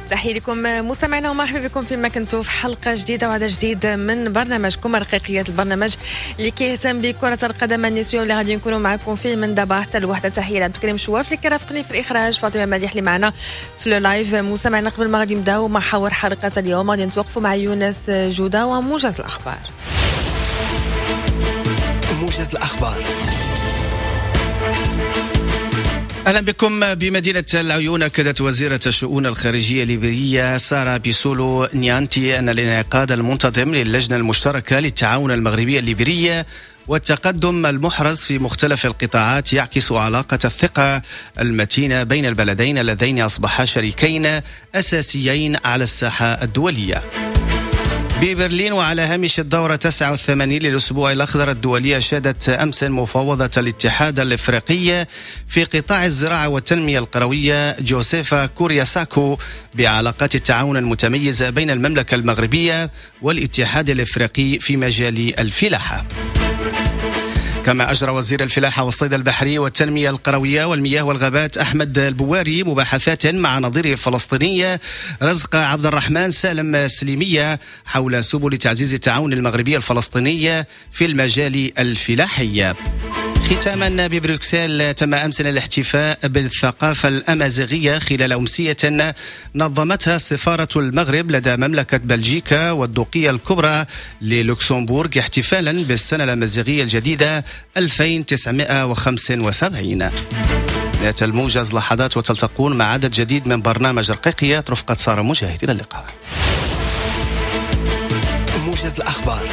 تحية لكم مستمعينا ومرحبا بكم فيما كنتوا في حلقة جديدة وعدد جديد من برنامجكم رقيقيات، البرنامج اللي كيهتم بكرة القدم النسوية واللي غادي نكونوا معكم فيه من دابا حتى الوحدة. تحية لعبد الكريم شواف اللي كيرافقني في الإخراج، فاطمة مديح اللي معنا في ال live. مستمعينا قبل ما غادي نبداو محاور حلقة اليوم غادي نتوقفوا مع يونس جودة وموجز الأخبار. موجز الأخبار. أهلا بكم. بمدينة العيون أكدت وزيرة الشؤون الخارجية الليبية سارة بيسولو نيانتي أن الانعقاد المنتظم للجنة المشتركة للتعاون المغربي الليبي والتقدم المحرز في مختلف القطاعات يعكس علاقة الثقة المتينة بين البلدين اللذين أصبحا شريكين أساسيين على الساحة الدولية. ببرلين وعلى هامش الدورة 89 للأسبوع الأخضر الدولي أشادت أمس مفوضة الاتحاد الإفريقي في قطاع الزراعة والتنمية القروية جوزيفا كورياساكو بعلاقات التعاون المتميزة بين المملكة المغربية والاتحاد الإفريقي في مجال الفلاحة. كما أجرى وزير الفلاحة والصيد البحري والتنمية القروية والمياه والغابات أحمد البواري مباحثات مع نظيره الفلسطيني رزق عبد الرحمن سالم سليمية حول سبل تعزيز التعاون المغربي الفلسطيني في المجال الفلاحي. ختاما ببروكسل تم أمس الاحتفاء بالثقافة الأمازيغية خلال أمسية نظمتها سفارة المغرب لدى مملكة بلجيكا والدوقية الكبرى للوكسمبورغ احتفالا بالسنة الأمازيغية الجديدة 2975. نهاية الموجز لحظات وتلتقون مع عدد جديد من برنامج رقيقيات رفقة سارة مجاهد. إلى اللقاء. موجز الأخبار.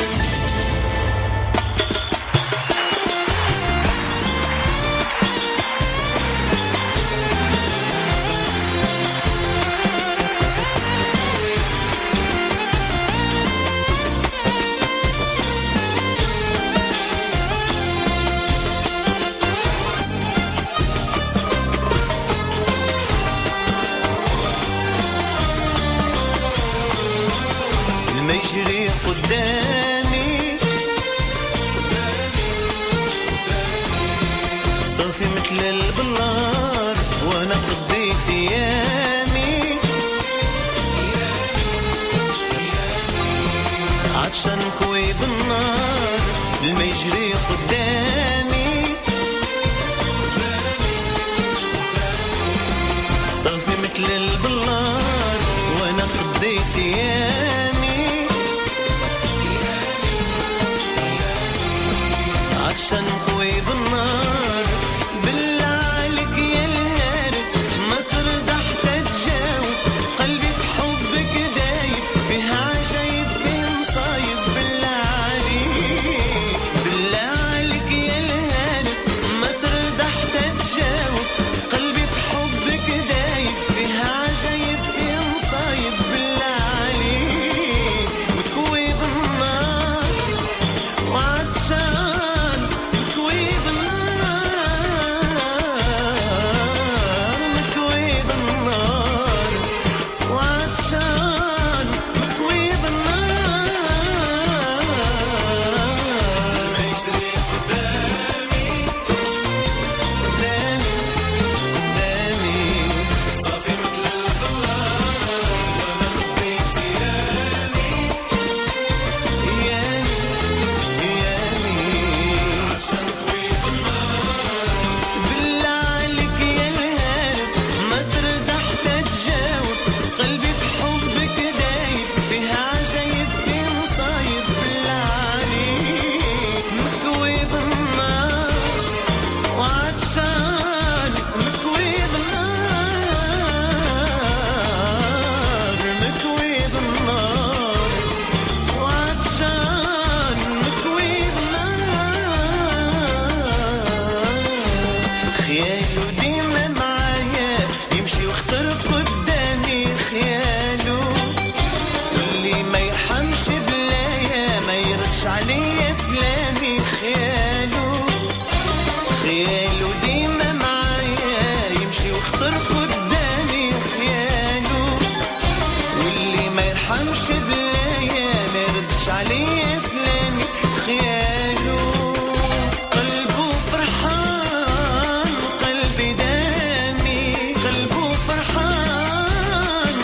المجري قدامي صافي مثل البلار وانا قضيت ايامي عطشان كوي بالنار. المجري قدامي صافي مثل البلار وانا قضيت ايامي عطشان قوي بالنار. بالله عليك يا الهارب ما ترضى حتى تجاوب، قلبي بحبك دايب فيها عجايب فيه مصايب. بالله عليك، بالله عليك يا الهارب ما ترضى حتى تجاوب، قلبي بحبك دايب فيها عجايب فيه مصايب. بالله عليك مكوي بالنار وعطشان مكوي بالنار، مكوي بالنار وعطشان مكوي بالنار. المجري قدامي قدامي قدامي صافي مثل البلار وانا قضيت ايامي ايامي ايامي عشان قوي بالنار. بالله عليك يا الهارب ما ترضى حتى تجاوب، قلبي بحبك دايب فيها عجايب فيه مصايب. بالله عليك مكوي بالنار وعطشان مكوي بالنار، مكوي بالنار وعطشان مكوي بالنار. خياله ديما معايا يمشي وخطر قدامي خياله، واللي ما يرحمش بلايا ما يردش عليا سلامي. خياله خياله ديما معايا يمشي وخطر قدامي خياله، واللي ما يرحمش بلايا ما يردش عليا سلامي. خياله قلبه فرحان قلبي دامي، قلبه فرحان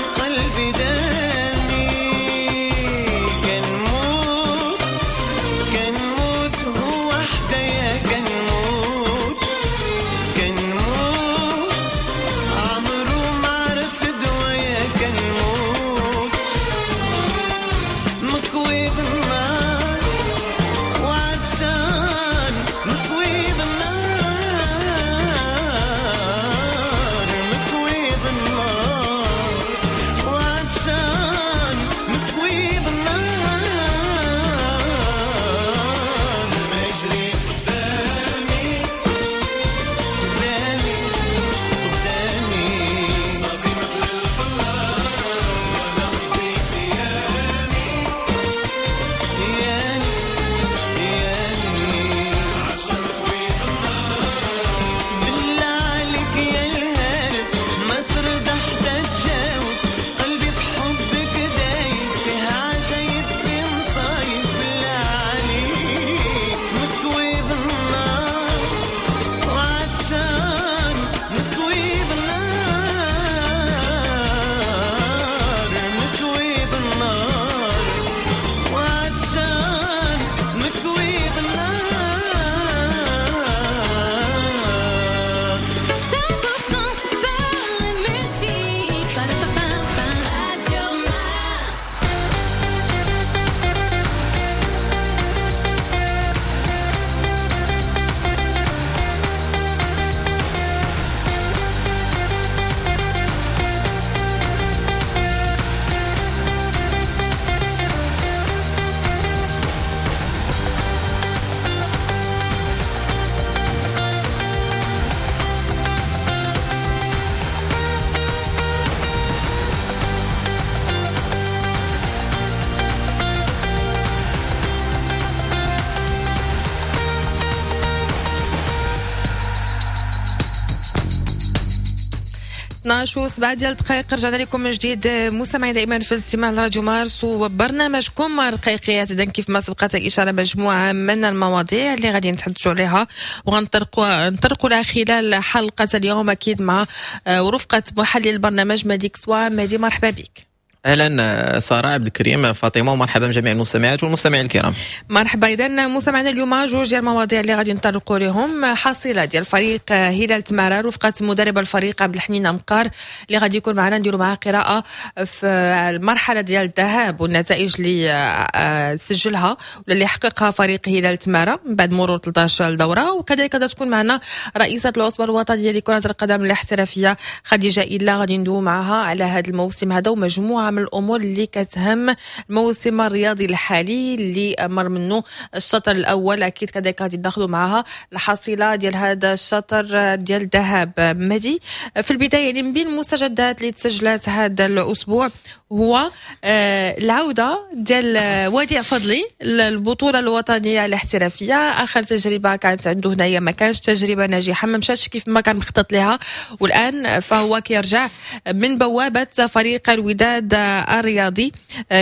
12:07 ديال الدقائق، رجعنا لكم من جديد مستمعين دائما في الاستماع لراديو مارس وبرنامجكم رقيقيات. اذا كيف ما سبقت الاشارة مجموعة من المواضيع اللي غادي نتحدثوا عليها وغنطرقوا لها خلال حلقة اليوم، اكيد مع ورفقه محلل البرنامج مهدي كسوا. مهدي مرحبا بك. اهلا ساره، عبد الكريم، فاطمه، ومرحبا بجميع المستمعات والمستمعين الكرام. مرحبا. اذا مستمعينا اليوم جوج ديال المواضيع اللي غادي نطرقوا لهم: حصيله ديال فريق هلال تمارا رفقه مدرب الفريق عبد الحنين امقار اللي غادي يكون معنا، نديروا معاه قراءة في المرحلة ديال الذهاب والنتائج اللي سجلها ولا اللي حققها فريق هلال تمارا من بعد مرور 13 دوره. وكذلك غادي تكون معنا رئيسه العصبة الوطنية لكرة القدم الاحترافية خديجة الا، غادي ندوي معها على هذا الموسم هذا ومجموعة من الامور اللي كتهم الموسم الرياضي الحالي اللي مر منه الشطر الاول. اكيد كذلك غادي ناخذوا معها الحصيلة ديال هذا الشطر ديال الذهاب. مهدي، في البداية يعني من بين المستجدات اللي تسجلت هذا الاسبوع هو العودة ديال وديع فضلي للبطولة الوطنية الاحترافيه. اخر تجربه كانت عنده هنايا ما كانش تجربه ناجحه، ما مشاتش كيف ما كان مخطط لها، والان فهو كيرجع من بوابه فريق الوداد الرياضي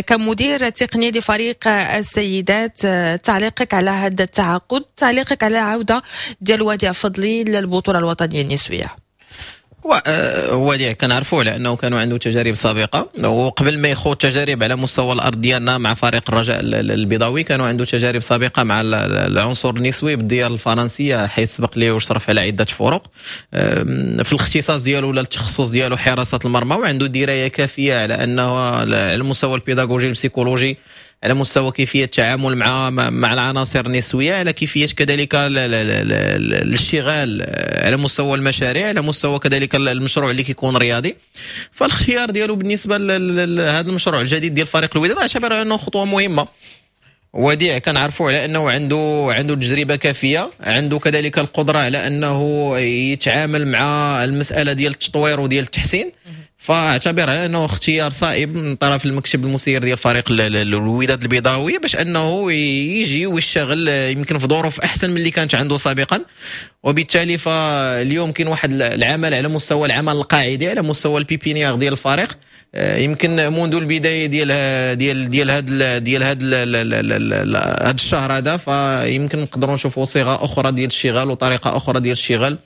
كمدير تقني لفريق السيدات. تعليقك على هذا التعاقد، تعليقك على العودة ديال وديع فضلي للبطولة الوطنية النسوية؟ وديع كنعرفوه لانه كانوا عنده تجارب سابقه، وقبل ما يخوض تجارب على مستوى الارض ديالنا مع فريق الرجاء البيضاوي كانوا عنده تجارب سابقه مع العنصر النسوي بالديار الفرنسيه، حيث سبق ليه وشرف على عده فرق. في الاختصاص ديالو ولا التخصص ديالو حراسة المرمى، وعنده دراية كافيه على انه على المستوى البيداغوجي البسيكولوجي، على مستوى كيفية التعامل مع العناصر النسويه، على كيفية كذلك الاشتغال على مستوى المشاريع، على مستوى كذلك المشروع اللي كيكون رياضي. فالاختيار ديالو بالنسبة لهذا المشروع الجديد ديال فريق الوداد اعتبر انه خطوة مهمه. وديع كنعرفوا على انه عنده تجربه كافيه، عنده كذلك القدرة على انه يتعامل مع المسالة ديال التطوير وديال التحسين، فاعتبر على انه اختيار صائب من طرف المكتب المسير ديال فريق الوداد البيضاوي باش انه يجي ويشتغل يمكن في ظروف احسن من اللي كانت عنده سابقا. وبالتالي فاليوم كاين واحد العمل على مستوى العمل القاعدي، على مستوى ال pépinière ديال الفريق، يمكن منذ البداية ديال ديال ديال هذا ديال هذا هذا الشهر هذا، فيمكن نقدروا نشوفوا صيغة اخرى ديال الاشتغال وطريقه اخرى ديال الاشتغال،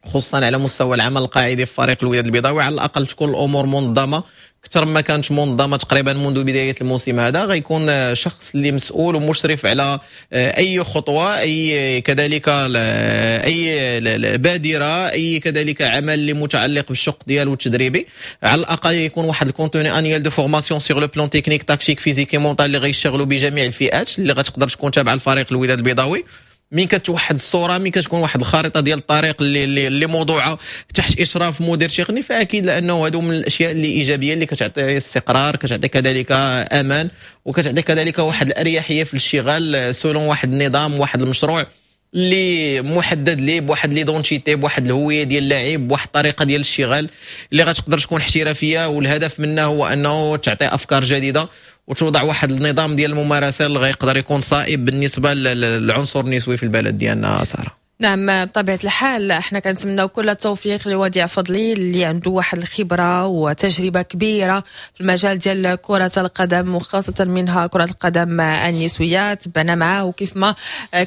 خصوصا على مستوى العمل القاعدي في فريق الوداد البيضاوي. على الاقل تكون الامور منظمة اكثر ما كانت منظمة تقريبا منذ بداية الموسم هذا. غيكون شخص اللي مسؤول ومشرف على اي خطوه، اي كذلك اي بادره، اي كذلك عمل اللي متعلق بالشق ديالو التدريبي. على الاقل يكون واحد ال contenu annuel de formation sur le plan technique، tactique، physique، mental اللي غيشتغلوا بجميع الفئات اللي غتقدر تكون تابعه لفريق الوداد البيضاوي. من كتوحد الصوره، من كتكون واحد الخريطة ديال الطريق اللي موضوعه تحت اشراف مدير تقني، فاكيد لانه هادو من الاشياء اللي ايجابية اللي كتعطي استقرار، كتعطي كذلك امان، وكتعطي كذلك واحد الاريحيه في الاشتغال selon واحد النظام، واحد المشروع اللي محدد ليه بواحد l'identité، بواحد الهوية ديال اللاعب، بواحد الطريقة ديال الاشتغال اللي غتقدر تكون احترافيه. والهدف منها هو انه تعطي افكار جديدة وتوضع واحد النظام ديال الممارسة اللي غيقدر يكون صائب بالنسبة للعنصر النسوي في البلد ديالنا ساره. نعم، بطبيعة الحال احنا كنتمناو كل التوفيق لوديع فضلي اللي عنده واحد الخبرة وتجربة كبيرة في المجال ديال كرة القدم، وخاصة منها كرة القدم النسوية. تبعنا معاه، وكيف ما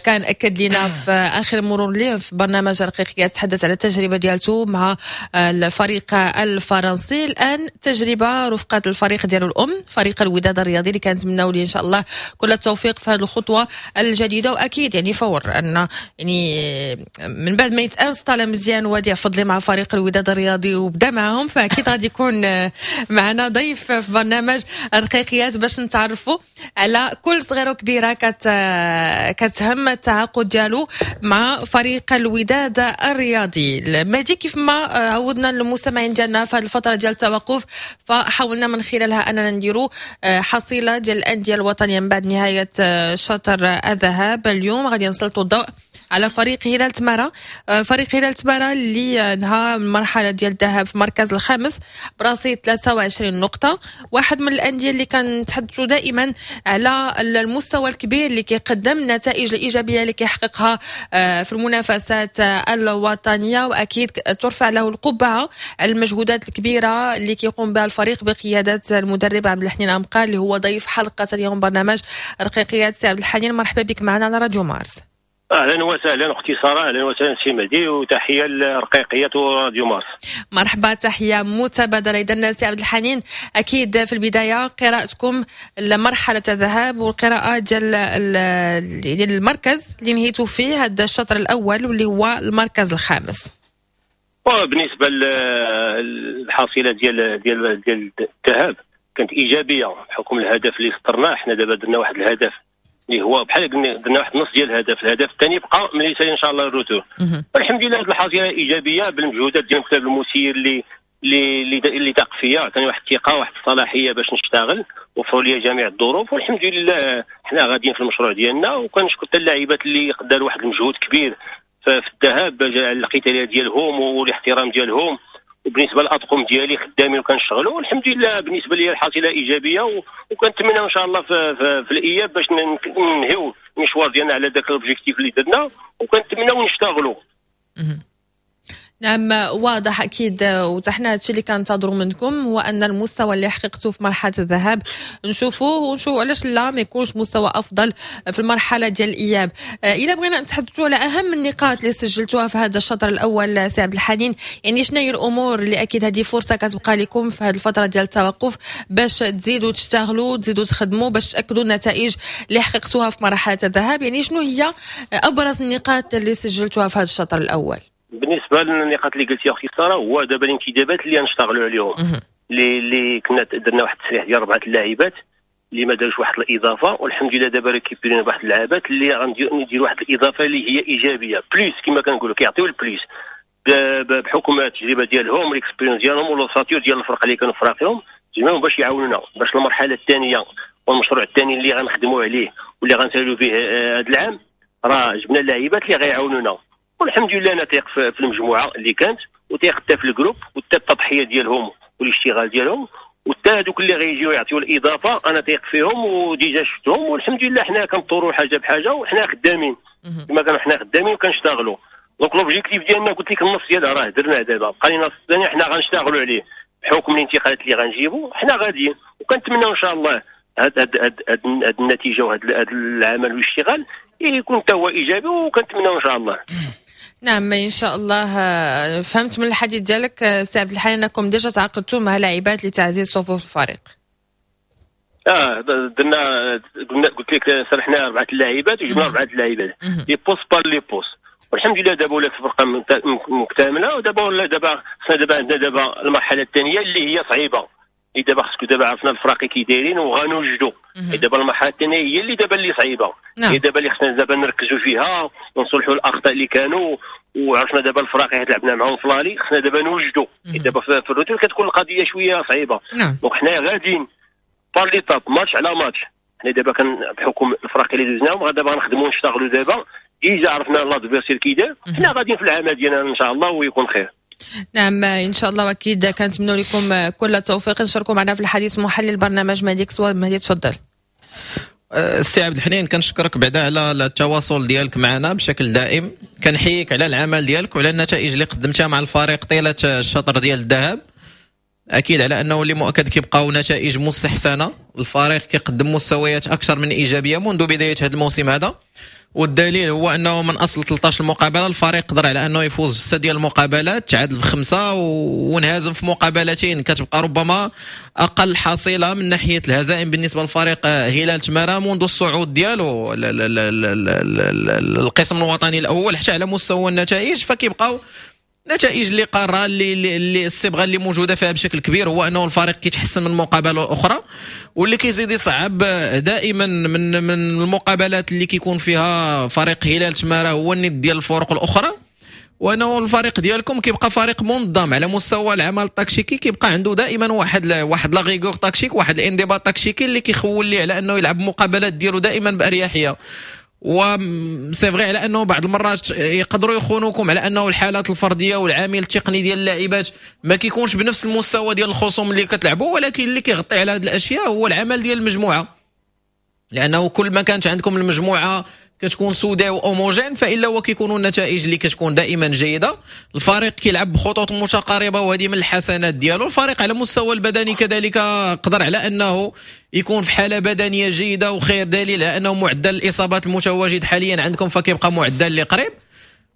كان أكد لنا في آخر مرور ليه في برنامج رقيقية تحدث على التجربة ديالته مع الفريق الفرنسي. الآن تجربة رفقة الفريق ديالو الأم، فريق الوداد الرياضي، اللي كنتمناو ليه إن شاء الله كل التوفيق في هذه الخطوة الجديدة. وأكيد يعني فور أن يعني من بعد ما يت installa مزيان وديع فضلي مع فريق الوداد الرياضي وبدا معهم، فاكيد غادي يكون معنا ضيف في برنامج الرقيقيات باش نتعرفوا على كل صغيرة وكبيره كتهم التعاقد ديالو مع فريق الوداد الرياضي. مهدي، كيف ما عودنا المستمعين ديالنا في هذه الفترة ديال التوقف، فحاولنا من خلالها اننا نديروا حصيله ديال الاندية الوطنية من بعد نهاية شطر الذهاب. اليوم غادي نسلطوا الضوء على على فريق هلال تمارة. فريق هلال تمارة اللي انهى المرحلة ديال الذهاب في المركز الخامس برصيد 23 نقطة، واحد من الاندية اللي كنتحدثوا دائما على المستوى الكبير اللي كيقدم، النتائج الايجابية اللي كيحققها في المنافسات الوطنيه، واكيد ترفع له القبعة على المجهودات الكبيرة اللي كيقوم بها الفريق بقيادة المدرب عبد الحنين امقال اللي هو ضيف حلقة اليوم برنامج رقيقيات. سي عبد الحنين، مرحبا بك معنا على راديو مارس. اهلا وسهلا اختي ساره، اهلا وسهلا سي مهدي، وتحية للرقيقيات وراديو مارس. مرحبا، تحية متبادله. اذا سي عبد الحنين، اكيد في البداية قراءتكم لمرحلة الذهاب والقراءة ديال المركز اللي نهيتوا فيه هذا الشطر الاول واللي هو المركز الخامس. بالنسبة للحصيله ديال ديال ديال الذهاب كانت ايجابية بحكم الهدف اللي سطرناه. حنا دابا درنا واحد الهدف اللي هو بحال درنا واحد النص ديال الهدف، الهدف الثاني بقى ملي يسالي ان شاء الله ال retour. والحمد لله هذه الحصيلة ايجابية بالمجهودات ديال المكتب المسير اللي اللي اللي تاق فيا، عطاني واحد الثقة واحد الصلاحية باش نشتغل، وفروا لي جميع الظروف، والحمد لله حنا غاديين في المشروع ديالنا. وكنشكر حتى اللاعبات اللي داروا واحد المجهود كبير في الذهاب على القتالية ديالهم والاحترام ديالهم. وبالنسبة للاطقم ديالي خدامين وكنشتغلوا، والحمد لله بالنسبة لي الحصيلة ايجابية، وكنتمنى ان شاء الله في الاياب باش ننهيو المشوار ديالنا على ذاك l'objectif اللي درنا، وكنتمناو نشتغلوا. نعم، واضح اكيد، وحنا هادشي اللي كنتظروا منكم هو ان المستوى اللي حققته في مرحلة الذهاب نشوفوه ونشوفوا علاش لا ما يكونش مستوى افضل في المرحلة ديال الاياب. الا بغينا نتحدثوا على اهم النقاط اللي سجلتوها في هذا الشطر الاول سي عبد الحنين، يعني شنو هي الامور اللي اكيد هذه فرصة كتبقى لكم في هذه الفترة ديال التوقف باش تزيدوا تشتغلوا، تزيدوا تخدموا باش تاكدوا النتائج اللي حققتوها في مرحلة الذهاب، يعني شنو هي ابرز النقاط اللي سجلتوها في هذا الشطر الاول؟ بالنسبة للنقاط اللي قلتي اختي ساره، هو دابا الانتدابات اللي غنشتغلوا عليهم، اللي كنا درنا واحد التسريح ديال 4 اللاعبات اللي ما داروش واحد الاضافة، والحمد لله دابا récupér ينا بواحد اللعابات اللي غنديروا واحد الاضافة اللي هي ايجابية plus، كما كنقولوا كيعطيو ال plus بحكم التجربة ديالهم، l'expérience ديالهم و l'ossature ديال الفرق اللي كانوا فراقيهم جمعهم باش يعاونونا باش المرحلة الثانية والمشروع الثاني اللي غنخدموا عليه واللي غنسالوا فيه هذا العام، راه جبنا اللاعبات اللي غيعاونونا. والحمد لله انا تيق في المجموعة اللي كانت، وتيق حتى في ال groupe، وحتى التضحية ديالهم والاشتغال ديالهم، وحتى هذوك اللي غيجيو يعطيو الاضافة انا تيق فيهم و déjà شفتهم. والحمد لله حنا كنطوروا حاجة بحاجة وحنا خدامين كما كانوا، حنا خدامين وكنشتغلوا. donc l'objectif ديالنا قلت لك النص ديالها راه درناه، دابا بقى لنا النص الثاني حنا غنشتغلوا عليه بحكم الانتقالات اللي غنجيبوا، حنا غاديين. وكنتمناو ان شاء الله هاد النتيجة وهاد العمل والاشتغال يكون حتى هو ايجابي، وكنتمناو ان شاء الله. نعم ان شاء الله. فهمت من الحديث ديالك سي عبد الحنين انكم déjà تعاقدتوا مع لاعبات لتعزيز صفوف الفريق. درنا قلت لك سرحنا 4 اللاعبات وجبنا 4 اللاعبات les postes par les postes، والحمد لله دابا ولات الفرقة مكتملة. ودابا ولا دابا خصنا دابا عندنا دابا المرحلة الثانية اللي هي صعيبة، اللي دابا خصك دابا عرفنا الفراقي كي دايرين وغنوجدوا. دابا المرحلة الثانية هي اللي دابا اللي صعيبة. نعم. هي دابا اللي خصنا دابا نركزوا فيها ونصلحوا الاخطاء اللي كانوا، وعرفنا دابا الفراقي اللي لعبنا معاهم في l'aller، خصنا دابا نوجدوا. دابا في ال retour كتكون القضية شوية صعيبة. نعم. donc حنا غاديين par l'étape، match على ماتش. حنا دابا كان بحكم الفراقي اللي دوزناهم دابا غنخدموا ونشتغلوا. دابا déjà عرفنا l'adversaire كي داير، حنا غاديين في العمل ديالنا ان شاء الله ويكون خير. نعم ان شاء الله، واكيد كنتمنوا لكم كل التوفيق. نشاركوا معنا في الحديث محلل برنامج مهدي كسوة. مهدي تفضل. السي عبد الحنين، كنشكرك بعدا على التواصل ديالك معنا بشكل دائم، كنحييك على العمل ديالك وعلى النتائج اللي قدمتها مع الفريق طيلة الشطر ديال الذهاب. اكيد على انه اللي مؤكد كيبقاو نتائج مستحسنه، الفريق كيقدم مستويات اكثر من ايجابية منذ بداية هذا الموسم هذا، والدليل هو انه من اصل 13 مقابله الفريق قدر على انه يفوز في 6 ديال المقابلات، تعادل بخمسة وانهزم في مقابلتين، كتبقى ربما اقل حصيله من ناحية الهزائم بالنسبة للفريق هلال تمارا منذ الصعود ديالو القسم الوطني الاول. حتى على مستوى النتائج فكيبقاو نتائج اللي قارة اللي الصبغه اللي موجودة فيها بشكل كبير هو انه الفريق كيتحسن من مقابله اخرى، واللي كيزيد يصعب دائما من المقابلات اللي كيكون فيها فريق هلال تمارا هو الند ديال الفرق الاخرى، وانه الفريق ديالكم كيبقى فريق منظم على مستوى العمل التكتيكي، كيبقى عنده دائما واحد la rigueur tactique، واحد الانضباط تكتيكي اللي كيخول ليه على انه يلعب مقابلات ديالو دائما باريحية. و c'est vrai على انه بعض المرات يقدروا يخونوكم على انه الحالات الفردية والعامل التقني ديال اللاعبات ما كيكونش بنفس المستوى ديال الخصوم اللي كتلعبوا، ولكن اللي كيغطي على هذه الاشياء هو العمل ديال المجموعة، لانه كل ما كانت عندكم المجموعة كتكون soudée و homogène فالا هو كيكونوا النتائج اللي كتكون دائما جيدة. الفريق كيلعب بخطوط متقاربة وهذه من الحسنات ديالو. الفريق على المستوى البدني كذلك قدر على انه يكون في حاله بدنية جيدة، وخير دليل على انه معدل الاصابات المتواجد حاليا عندكم فكيبقى معدل اللي قريب.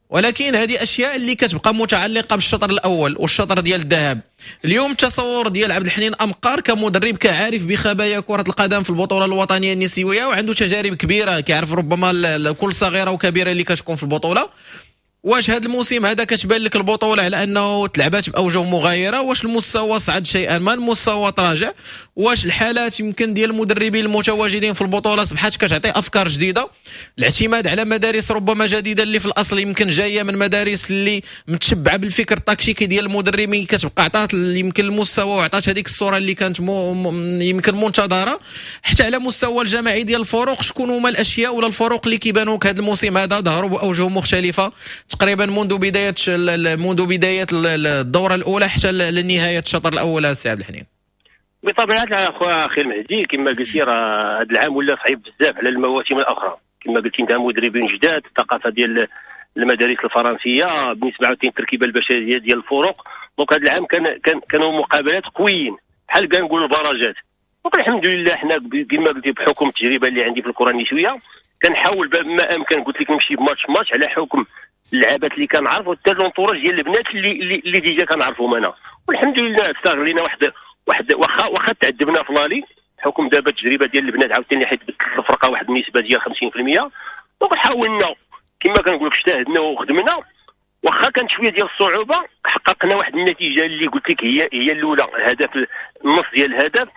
ولكن هذه اشياء اللي كتبقى متعلقه بالشطر الاول والشطر ديال الذهاب. اليوم التصور ديال عبد الحنين امقار كمدرب كعارف بخبايا كره القدم في البطولة الوطنية النسوية وعنده تجارب كبيرة، كيعرف ربما كل صغيرة وكبيره اللي كتكون في البطولة، واش هذا الموسم هذا كتبان لك البطولة على انه تلعبات باوجه مغايرة؟ واش المستوى صعد شيئا ما، المستوى تراجع؟ واش الحالات يمكن ديال المدربين المتواجدين في البطولة اصبحت كتعطي افكار جديدة؟ الاعتماد على مدارس ربما جديدة اللي في الاصل يمكن جاية من مدارس اللي متشبعه بالفكر التكتيكي ديال المدربين، كتبقى عطات يمكن المستوى وعطات هذيك الصورة اللي كانت يمكن منتظره. حتى على مستوى الجماعي ديال الفروق، شكون هما الاشياء ولا الفروق اللي كيبانوا هذا الموسم هذا ظهروا باوجه مختلفة تقريبا منذ بداية الدورة الاولى حتى لنهاية الشطر الاول سي عبد الحنين؟ بطبيعة الحال اخويا اخي المهدي، كما قلتي راه هذا العام ولا صعيب بزاف على المواسم الاخرى. كما قلتي انت، مدربين جداد، الثقافة ديال المدارس الفرنسيه، بالنسبة عاوتاني التركيبة البشرية ديال الفرق. donc هذا العام كانوا مقابلات قويين بحال كنقولوا البراجات. donc الحمد لله حنا كما قلتي بحكم التجربة اللي عندي في الكره النسوية كنحاول ما امكن، قلت لك، نمشي ب match match على حكم اللعابات اللي كنعرف وحتى l'entourage ديال البنات اللي déjà كنعرفهم انا. والحمد لله استغلينا واحد واخا تعذبنا في l'aller حكم دابا التجربة ديال البنات عاوتاني، حيت بدلت الفرقة واحد النسبة ديال 50%. donc حاولنا كما كنقول لك اجتهدنا وخدمنا، واخا كانت شوية ديال الصعوبة حققنا واحد النتيجة اللي قلت لك هي الاولى، الهدف، النص ديال الهدف.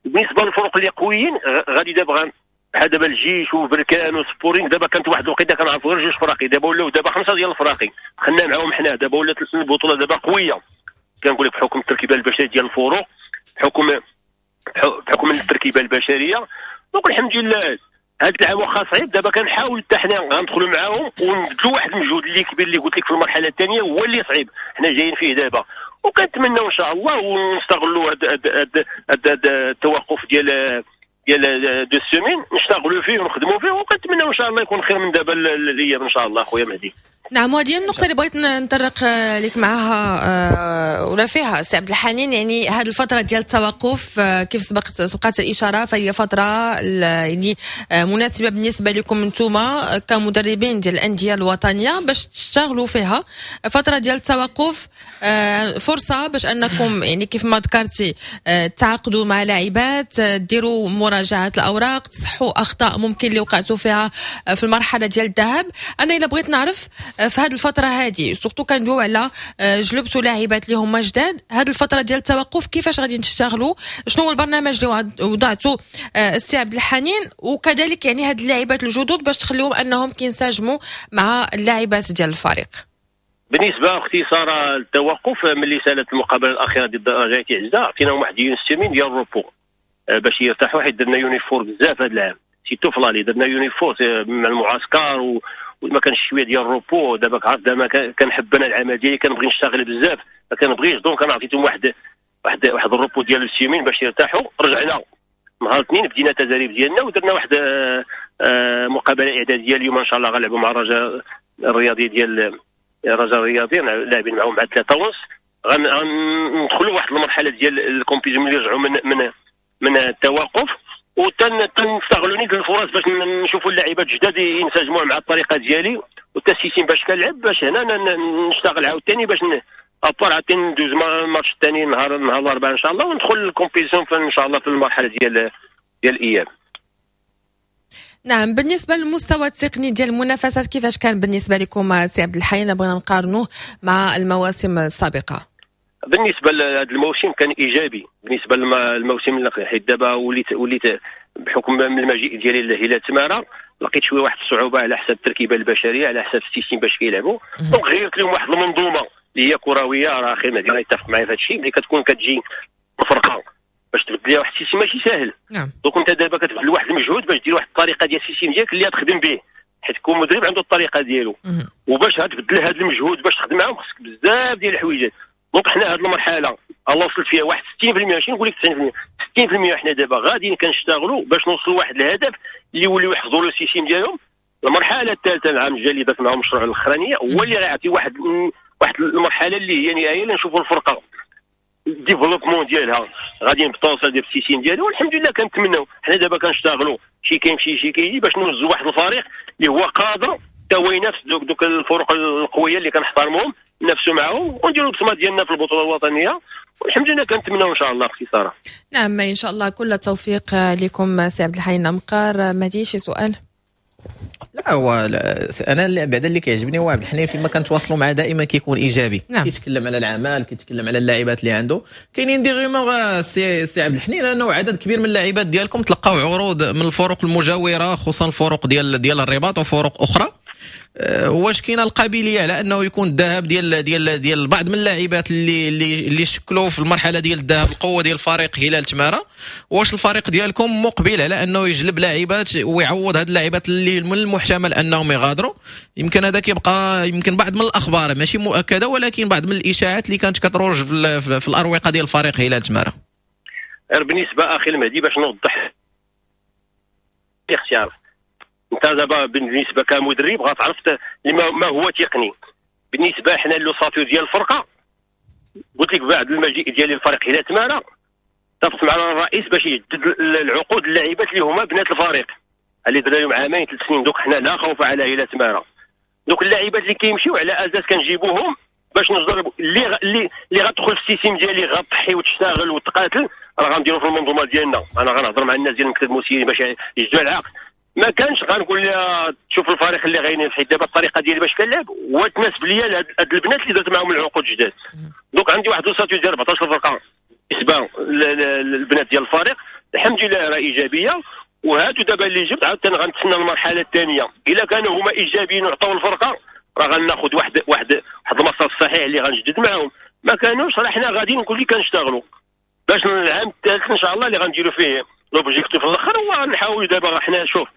بالنسبة للفرق اللي قويين غادي دابا بحال دابا الجيش وبركان وسبورتينغ، دابا كانت واحد الوقيته كنعرفوا غير جوج فراقي، دابا ولاو دابا خمسة ديال الفراقي دخلنا معاهم حنا. دابا ولات البطولة دابا قويه، كنقول لك بحكم التركيبة البشرية ديال الفروق، بحكم التركيبة البشريه. donc الحمد لله هذا العام واخا صعيب دابا كنحاول حتى حنا غندخلوا معاهم ونبذلوا واحد المجهود اللي كبير. اللي قلت لك في المرحلة الثانية هو اللي صعيب، حنا جايين فيه دابا، وكنتمناو ان شاء الله ونستغلوا هذا التوقف ديال 2 semaines، نشتغلوا فيه ونخدموا فيه، وكنتمناو ان شاء الله يكون خير من دابا الايام ان شاء الله خويا مهدي. نعم، وهذه النقطة اللي بغيت نطرق لك معها ولا فيها سي عبد الحنين. يعني هذه الفترة ديال التوقف كيف سبقت الإشارة فهي فترة يعني مناسبة بالنسبة لكم انتم كمدربين ديال الأندية الوطنية باش تشتغلوا فيها. فترة ديال التوقف فرصة باش أنكم يعني كيف ما ذكرتي تعاقدوا مع لاعبات، ديروا مراجعة الأوراق، تصحوا أخطاء ممكن اللي وقعتوا فيها في المرحلة ديال الذهاب. أنا إلا بغيت نعرف في هذه الفترة هذه، surtout كندويو على جلبتوا لاعبات اللي هما جداد، هذه الفترة ديال التوقف كيفاش غادي تشتغلوا؟ شنو هو البرنامج اللي وضعتوا السي عبد الحنين؟ وكذلك يعني هاد اللاعبات الجدد باش تخليهم انهم كينسجموا مع اللاعبات ديال الفريق. بالنسبة اختي ساره التوقف، ملي سالت المقابلة الاخيرة ضد رجاء عزه عطيناهم واحد une semaine ديال ال repos باش يرتاحوا، حيت درنا un effort بزاف هذا العام، surtout في l'aller درنا un effort مع المعسكر وما كانش شوية ديال ال repos. دابا عارف دابا كنحب انا العمل ديالي، كنبغي نشتغل بزاف، ما كنبغيش. donc انا عطيتهم واحد ال repos ديال السيمين باش يرتاحوا. رجعنا نهار الاثنين بدينا التدريب ديالنا ودرنا واحد مقابله اعدادية. اليوم ان شاء الله غنلعبوا مع الرجاء الرياضي، ديال الرجاء الرياضي، لاعبين معاهم مع 3:30. غندخلوا واحد المرحلة ديال ال compétition ملي يرجعوا من التوقف، وتنستغلوا نيت الفرص باش نشوفوا اللاعبات الجداد ينسجموا مع الطريقة ديالي وال système باش كنلعب، باش هنا نشتغل عاوتاني باش à part عاوتاني ندوز الماتش الثاني نهار الاربعاء ان شاء الله وندخل ال compétition ان شاء الله في المرحلة ديال الاياب. نعم، بالنسبة للمستوى التقني ديال المنافسات كيفاش كان بالنسبة لكم سي عبد الحي، بغينا نقارنوه مع المواسم السابقة؟ بالنسبة لهذا الموسم كان ايجابي بالنسبة للموسم اللي، حيت دابا وليت بحكم من المجيء ديالي لهلال تماره لقيت شوية واحد الصعوبة على حساب التركيبة البشريه، على حساب ال système باش كيلعبوا. donc غيرت لهم واحد المنظومة اللي هي كرويه. راه اخي مهدي يتفق معايا في هذا الشيء، ملي كتكون كتجي الفرقة باش تبدل لها واحد ال système ماشي ساهل. Donc انت دابا كتبذل واحد المجهود باش دير واحد الطريقة ديال ال système ديالك اللي تخدم به. حيت كل مدرب عنده الطريقة ديالو، وباش تبدل هذا المجهود باش تخدم معاهم خصك بزاف ديال الحويجات. donc حنا هذه المرحلة الله وصلت فيها واحد 60%، ماشي نقول لك 90%، 60% حنا دابا غاديين كنشتغلوا باش نوصلوا واحد الهدف اللي يوليو يحفظوا le système ديالهم. المرحلة الثالثة العام الجاي اللي درت معاهم المشروع الاخرانية هو اللي غيعطي واحد المرحلة اللي هي نهائية اللي نشوفوا الفرقة ال développement ديالها غاديين بالتوصل ديال ال système ديالو. والحمد لله كنتمناو حنا دابا كنشتغلوا شي كيمشي شي كيجي باش نوزوا واحد الفريق اللي هو قادر حتى هو ينافس دوك الفرق القوية اللي كنحترموهم، نفسوا معاهم ونديروا البصمة ديالنا في البطولة الوطنية. والحمد لله كنتمناو ان شاء الله اختي ساره. نعم ان شاء الله كل التوفيق لكم سي عبد الحنين أمقار. مهدي شي سؤال؟ لا هو انا بعدا اللي كيعجبني هو عبد الحنين فيما كنتواصلوا معاه دائما كيكون ايجابي. نعم. كيتكلم على العمل، كيتكلم على اللاعبات اللي عنده. كاينين des rumeurs سي عبد الحنين انه عدد كبير من اللاعبات ديالكم تلقاو عروض من الفرق المجاورة، خصوصا الفرق ديال الرباط وفرق اخرى. واش كاينه القابلية على انه يكون الذهاب ديال ديال ديال بعض من اللاعبات اللي اللي اللي شكلوا في المرحلة ديال الذهاب القوة ديال فريق هلال تماره؟ واش الفريق ديالكم مقبل على انه يجلب لاعبات ويعوض هاد اللاعبات اللي من المحتمل انهم يغادروا؟ يمكن هذا كيبقى يمكن بعض من الاخبار ماشي مؤكدة، ولكن بعض من الاشاعات اللي كانت كتروج في الاروقه ديال فريق هلال تماره. بالنسبة اخي المهدي باش نوضح الاختيار، انت دابا بالنسبة كمدرب غتعرف ما هو تقني. بالنسبة حنا l'ossature ديال الفرقة قلت لك بعد المجيء ديال الفريق هلال تماره اتفقت مع الرئيس باش يجدد العقود اللاعبات اللي هما بنات الفريق اللي درنا لهم عامين 3 سنين. دوك حنا لا خوف على هلال تماره. دوك اللاعبات اللي كيمشيو على اساس كنجيبوهم باش نجربوا اللي غتدخل في ال système ديالي غتضحي وتشتغل وتقاتل، راه غنديرو في المنظومة ديالنا. انا غنهضر مع الناس ديال المكتب المسيري باش يجدوا العقد. ما كانش غنقول لها تشوف الفريق اللي غينافس، حيت دابا الطريقة ديالي باش كنلعب وتناسب ليا هاد البنات اللي درت معاهم العقود جداد. donc عندي واحد l'ossature ديال 14 فرقه بالنسبة للبنات ديال الفريق، الحمد لله راه ايجابية. وهادو دابا اللي جبت عاوتاني غنتسنى المرحلة الثانية، الا كانوا هما ايجابيين وعطاو الفرقة راه غناخذ واحد واحد واحد المسار الصحيح اللي غنجدد معاهم. ما كانوش راه حنا غاديين نقول لك كنشتغلوا باش العام الثالث ان شاء الله اللي غنديروا فيه l'objectif في الاخر. وغنحاولوا دابا حنا شوف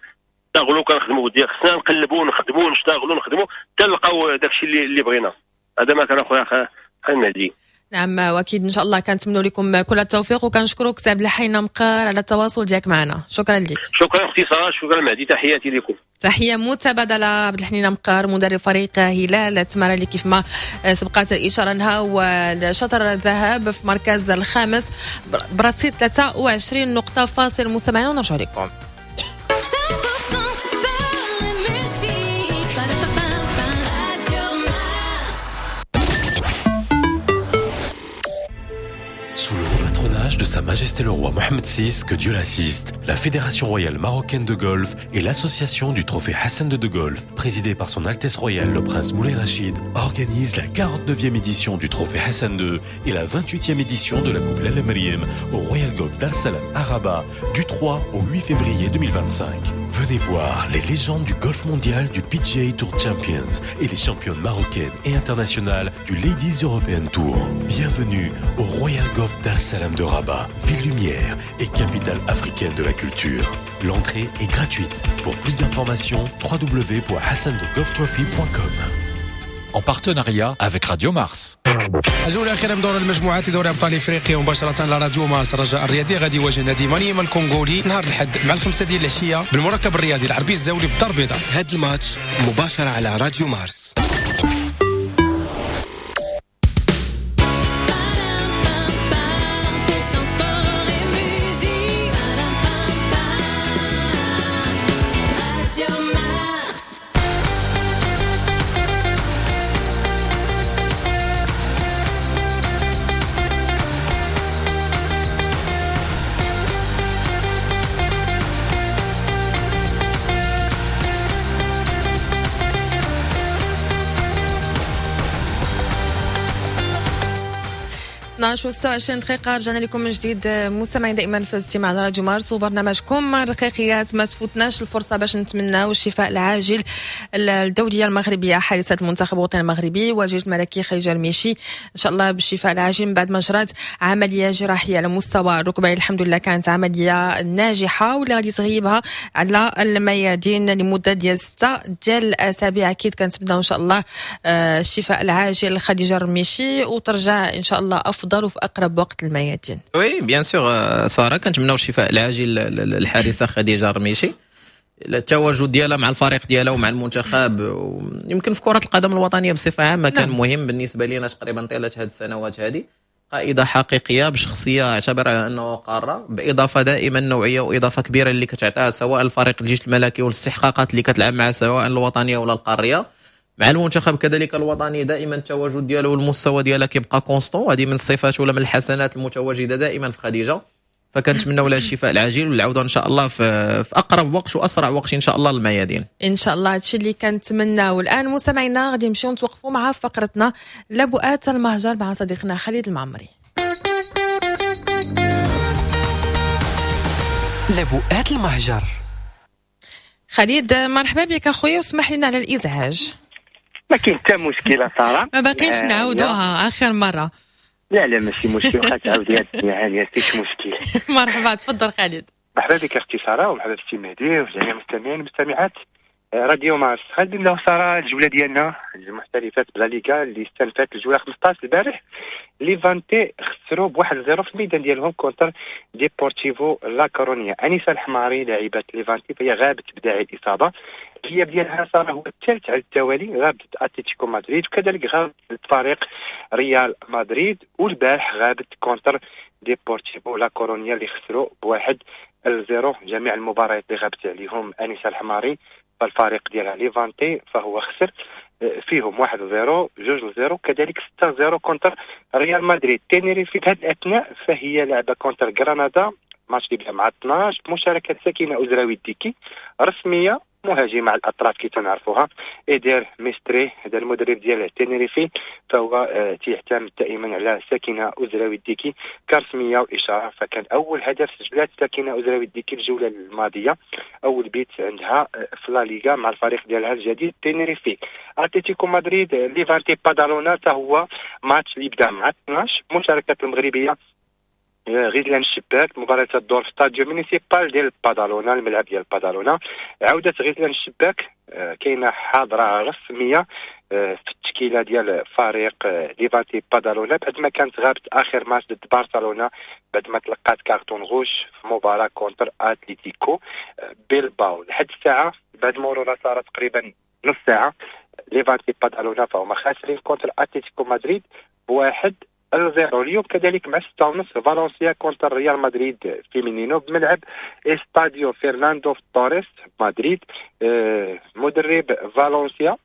نشتغلوا كنخدموا ديال خصنا نقلبوا نخدموا نشتغلوا نخدموا حتى نلقاو داكشي اللي بغينا. هذا ما كان اخويا المهدي. نعم واكيد ان شاء الله كنتمنوا لكم كل التوفيق، وكنشكرك سي عبد الحنين أمقار على التواصل ديالك معنا. شكرا لك. شكرا اختي ساره، شكرا مهدي، تحياتي لكم. تحية متبادلة. عبد الحنين أمقار مدرب فريق هلال تماره اللي كيف ما سبقات الاشارة لها والشطر الذهب في مركز الخامس برصيد 23 نقطة. فاصل مستمعين ونرجع لكم. De Sa Majesté le Roi Mohammed VI, que Dieu l'assiste, la Fédération Royale Marocaine de Golf et l'association du Trophée Hassan II de Golf, présidée par son Altesse Royale le Prince Moulay Rachid, organise la 49e édition du Trophée Hassan II et la 28e édition de la Coupe Lalla Meriem au Royal Golf Dar Salam à Rabat du 3 au 8 février 2025. Venez voir les légendes du golf mondial du PGA Tour Champions et les championnes marocaines et internationales du Ladies European Tour. Bienvenue au Royal Golf Dar Salam de Rabat, ville lumière et capitale africaine de la culture. L'entrée est gratuite. Pour plus d'informations, www.hassandegolftrophy.com. En partenariat avec Radio Mars. الجولة الأخيرة من دور المجموعات لدوري أبطال إفريقيا مباشرة على راديو مارس. الرجاء الرياضي غادي يواجه نادي مانيما الكونغولي نهار الأحد مع 5 ديال العشية بالمركب الرياضي العربي الزاولي بالدار البيضاء. هذا الماتش مباشرة على راديو مارس. 12:26 دقيقة، رجعنا لكم من جديد مستمعين دائما في الاستماع على راديو مارس وبرنامجكم الرقيقيات. ما تفوتناش الفرصة باش نتمناو الشفاء العاجل الدولية المغربية حارسة المنتخب الوطني المغربي والجيش الملكي خديجة الميشي، إن شاء الله بالشفاء العاجل من بعد ما جرات عملية جراحية على مستوى الركبة. الحمد لله كانت عملية ناجحة واللي غادي تغيبها على الميادين لمدة ديال 6 ديال الأسابيع. أكيد كنتمناو إن شاء الله الشفاء العاجل لخديجة الرميشي وترجع إن شاء الله أفضل وفي أقرب وقت الميادين. oui bien sûr ساره، كنتمناو الشفاء العاجل للحارسه خديجة الرميشي. التواجد ديالها مع الفريق ديالها ومع المنتخب يمكن في كره القدم الوطنية بصفة عامة كان مهم بالنسبة لنا تقريبا طيلة هذه السنوات هذه. قائده حقيقية بشخصية اعتبر على انه قارة، باضافة دائما نوعية واضافه كبيرة اللي كتعطيها سواء الفريق الجيش الملكي والاستحقاقات اللي كتلعب معها سواء الوطنية ولا القارية. مع المنتخب كذلك الوطني دائما التواجد ديالو والمستوى ديالها كيبقى constant، هذه من الصفات ولا من الحسنات المتواجدة دائما في خديجة. فكنتمناو لها الشفاء العاجل والعودة ان شاء الله في اقرب وقت واسرع وقت ان شاء الله للميادين ان شاء الله. هادشي اللي كنتمناو. الان مستمعينا غادي نمشيو نتوقفوا مع فقرتنا لبؤات المهجر مع صديقنا خالد المعمري. لبؤات المهجر. خالد مرحبا بك اخويا واسمح لنا على الازعاج. ما كاين حتى مشكلة ساره، ما باقينش نعاودوها اخر مرة. لا لا ماشي مشكل، واخا تعاودي هاد الدنيا عالية ماشي مشكل. مرحبا تفضل خالد. مرحبا بك اختي ساره ومرحبا بسي مهدي وجميع المستمعين والمستمعات راديو مارس. غادي نبداو ساره الجولة ديالنا المحترفات بلا ليغا اللي استنفات الجولة 15 البارح. ليفانتي خسروا ب1-0 في الميدان ديالهم contre ديبورتيفو لا كورونيا. انيسة الحماري لاعبه ليفانتي فهي غابت بداعي الاصابة، الغياب ديالها ساره هو الثالث على التوالي، غابت اتلتيكو مدريد وكذلك غابت فريق ريال مدريد، والبارح غابت contre ديبورتيفو لا كورونيا اللي خسروا ب1-0. جميع المباريات اللي غابت عليهم انيسة الحماري فالفريق ديالها ليفانتي فهو خسر فيهم 1-0 2-0 كذلك 6-0 contre ريال مدريد. تينيريفي في هذه الاثناء فهي لعبه contre غرناطة، ماتش اللي بدا مع 12 بمشاركة سكينة أزراوي الديكي رسمية مهاجمه على الاطراف كي تنعرفوها. ايدير ميستري هذا المدرب ديال تينيريفي فهو تيعتمد دائما على سكينة أزراوي الديكي كرسميه واشاره، فكان اول هدف سجلات سكينة أزراوي الديكي الجولة الماضية، اول بيت عندها في لا ليغا مع الفريق ديالها الجديد تينيريفي. اتلتيكو مدريد ليفانتي بادالونا حتى هو ماتش اللي بدا مع 12 مشاركة المغربية غزلان الشباك، مباراة الدور في ستاديو مونيسيبال ديال بادالونا، الملعب ديال بادالونا. عودة غزلان الشباك كاينة حاضرة رسمية في التشكيلة ديال فريق ليفانتي بادالونا بعد ما كانت غابت آخر ماتش ضد برشلونة بعد ما تلقات carton rouge في مباراة contre أتليتيكو بيلباو. لحد الساعة بعد مرور صارت تقريبا نص ساعة ليفانتي بادالونا فهما خاسرين contre أتليتيكو مدريد ب1-0. اليوم كذلك مع 6:30 فالنسيا contre ريال مدريد فيمينينو بملعب استاديو فرناندو توريس مدريد. مدرب فالنسيا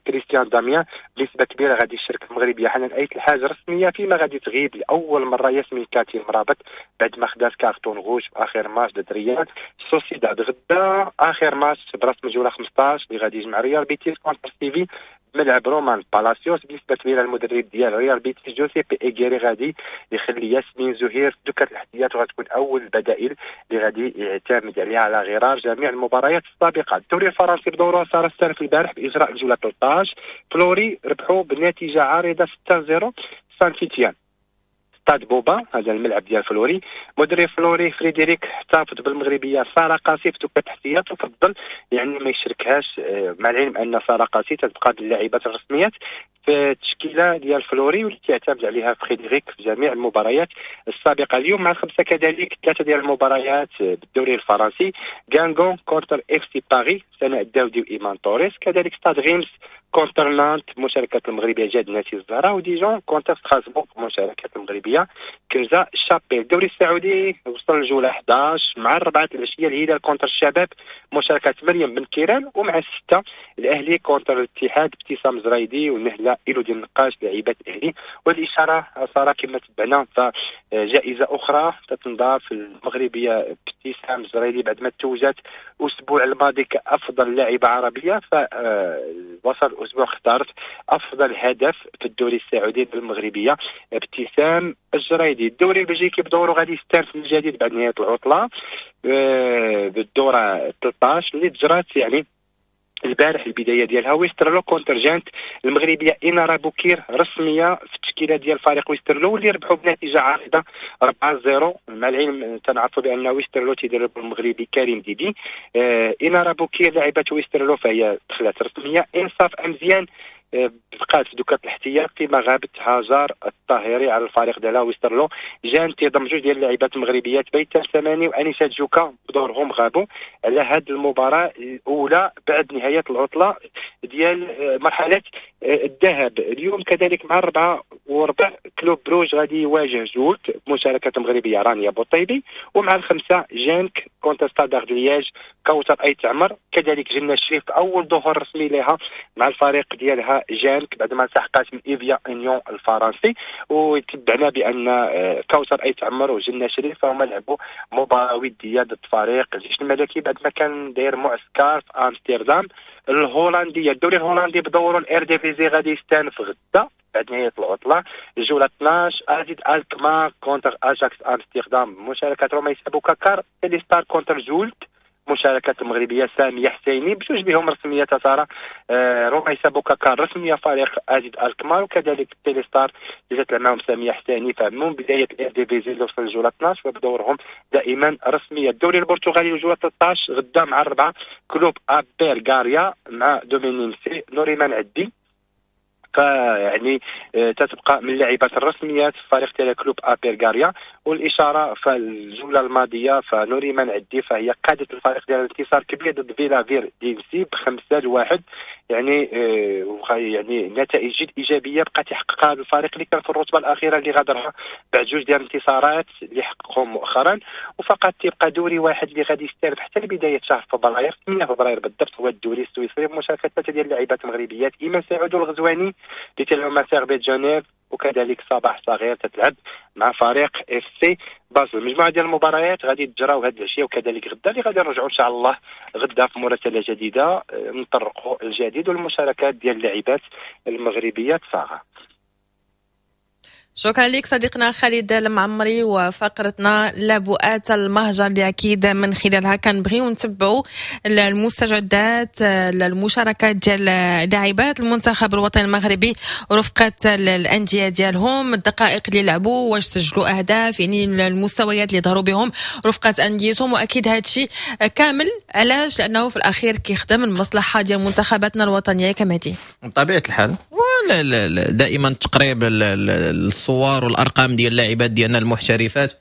كريستيان داميان بنسبة كبيرة غادي يشارك المغربية حنان ايت الحاج رسمية، فيما غادي تغيب لاول مرة ياسمين كاتي مرابط بعد ما خدات carton rouge في اخر ماتش ضد ريال سوسيداد. غدا اخر ماتش برسم الجولة 15 اللي غادي يجمع ريال بيتيس contre سيفي ملعب رومان بالاسيوس. بنسبة كبيرة المدرب ديال ريال بيتيس جوزيبي ايغيري غادي يخلي ياسمين زهير في دكه الاحتياط وغتكون اول البدائل اللي غادي يعتمد عليها على غرار جميع المباريات السابقة. الدوري الفرنسي بدوره صار السنة البارح باجراء الجولة 13، فلوري ربحوا بنتيجة عريضة 6-0 سان تيتيان ستاد بوبا، هذا الملعب ديال فلوري. مدرب فلوري فريدريك احتفظ بالمغربيه ساره قاسي في دكه الاحتياط وفضل يعني ما يشركهاش، مع العلم ان ساره قاسي تتبقى باللاعبات الرسميات في التشكيلة ديال فلوري واللي تعتمد عليها فريدريك في جميع المباريات السابقة. اليوم مع 5 كذلك 3 ديال المباريات بالدوري الفرنسي، غانغون contre اف سي باريس سناء الداودي وايمان توريس، كذلك ستاد ريمس contre نانت مشاركة المغربية جاد ناسي الزهراء، وديجون contre ستراسبورغ مشاركة المغربية كنزا شابيل. الدوري السعودي وصل للجولة 11 مع 4 العشية الهلال contre الشباب مشاركة مريم بن كيران، ومع 6 الأهلي contre الاتحاد ابتسام زرايدي ونهلة إيلودي النقاش لاعبات الأهلي. والإشارة صار كما تبعنا فجائزة أخرى تتنضاف المغربية ابتسام زرايدي بعد ما توجت الأسبوع الماضي كأفضل لاعبة عربية، فوصل الاسبوع اختارت افضل هدف في الدوري السعودي بالمغربيه ابتسام الجريدي. الدوري البلجيكي بدوره غادي يستانف من جديد بعد نهاية العطلة بالدوره 13 اللي تجرات يعني البارح البداية ديالها. ويسترلو contre جانت، المغربية انارا بوكير رسمية في التشكيلة ديال فريق ويسترلو واللي ربحوا بنتيجة عريضة 4-0. مع العلم تنعرفوا بان ويسترلو تيدرب المغربي كريم ديدي. انارا بوكير لاعبه ويسترلو فهي دخلت رسمية. انصاف امزيان بقات في دكات الاحتياط فيما غابت هاجر الطاهري على الفريق ديالها ويسترلو. جان تيضم جوج ديال اللاعبات المغربيات بيتا الثماني وانيسه جوكا بدورهم غابوا على هذه المباراة الاولى بعد نهاية العطلة ديال مرحلة الذهب. اليوم كذلك مع 4:15 كلوب بروج غادي يواجه زولت بمشاركة المغربية رانيا بوطيبي، ومع 5 جانك contre ستاندارد لياج كوثر ايت عمر. كذلك جنة الشريف اول ظهور رسمي لها مع الفريق ديالها جانك بعد ما التحقت من ايفيا انيون الفرنسي. وتبعنا بان كوثر ايت عمر وجنة شريف هما لعبوا مباراة وديه ضد فريق الجيش الملكي بعد ما كان داير معسكر في امستردام الهولندية. الدوري الهولندي بدوره الايرديفيزي غادي يستانف غدا بعد نهاية العطلة الجولة 12 ازيد الكمار contre اجاكس امستردام مشاركة روميس ابو كاكار. تيليستار contre زولت مشاركة المغربية سامية حسيني، بجوج بهم رسمية ساره. روميسا بوكاكار رسمية فريق ازيد الكمار، وكذلك تيليستار اللي جات معهم سامية حسيني فمن بداية الايرديفيزي اللي وصل الجولة 12 وبدورهم دائما رسمية. الدوري البرتغالي الجولة 13 غدا مع 4 كلوب ابير غاريا مع دومينينسي نوريمان عدي، فيعني تتبقى من اللاعبات الرسميات في فريق تيلا كلوب ابيرغاريا. والاشارة في الجولة الماضية فنوريمان عدي فهي قادت الفريق ديال انتصار كبير ضد فيلا فيردينسي ب5-1، يعني يعني نتائج جد ايجابية بقى تحققها هذا الفريق اللي كان في الرتبة الاخيرة اللي غادرها بعد جوج ديال الانتصارات اللي حققهم مؤخرا. وفقط تيبقى دوري واحد اللي غادي يستلف حتى لبداية شهر فبراير 8 فبراير بالضبط، هو الدوري السويسري بمشاركة ثلاثة ديال اللاعبات المغربيات ايمان سعود والغزواني اللي تلعب مع سيرفيت جنيف، وكذلك صباح صغير تتلعب مع فريق اف سي بازل. مجموعة ديال المباريات غادي تجراو هذه العشية وكذلك غدا اللي غادي نرجعوا ان شاء الله غدا في مراسله جديدة نطرقوا الجديد والمشاركات ديال اللاعبات المغربيات صاغه. شكرا لك صديقنا خالد المعمري وفقرتنا لبؤات المهجر اللي اكيد من خلالها كنبغيو نتبعوا المستجدات المشاركات ديال لاعبات المنتخب الوطني المغربي رفقه الاندية ديالهم، الدقائق اللي لعبوا، واش سجلوا اهداف، يعني المستويات اللي ظهروا بهم رفقه انديتهم. واكيد هذا الشيء كامل علاش؟ لانه في الاخير كيخدم المصلحة ديال منتخباتنا الوطنية كما دي بطبيعة الحال. ولا دائما تقريب الصور والارقام ديال اللاعبات ديالنا المحترفات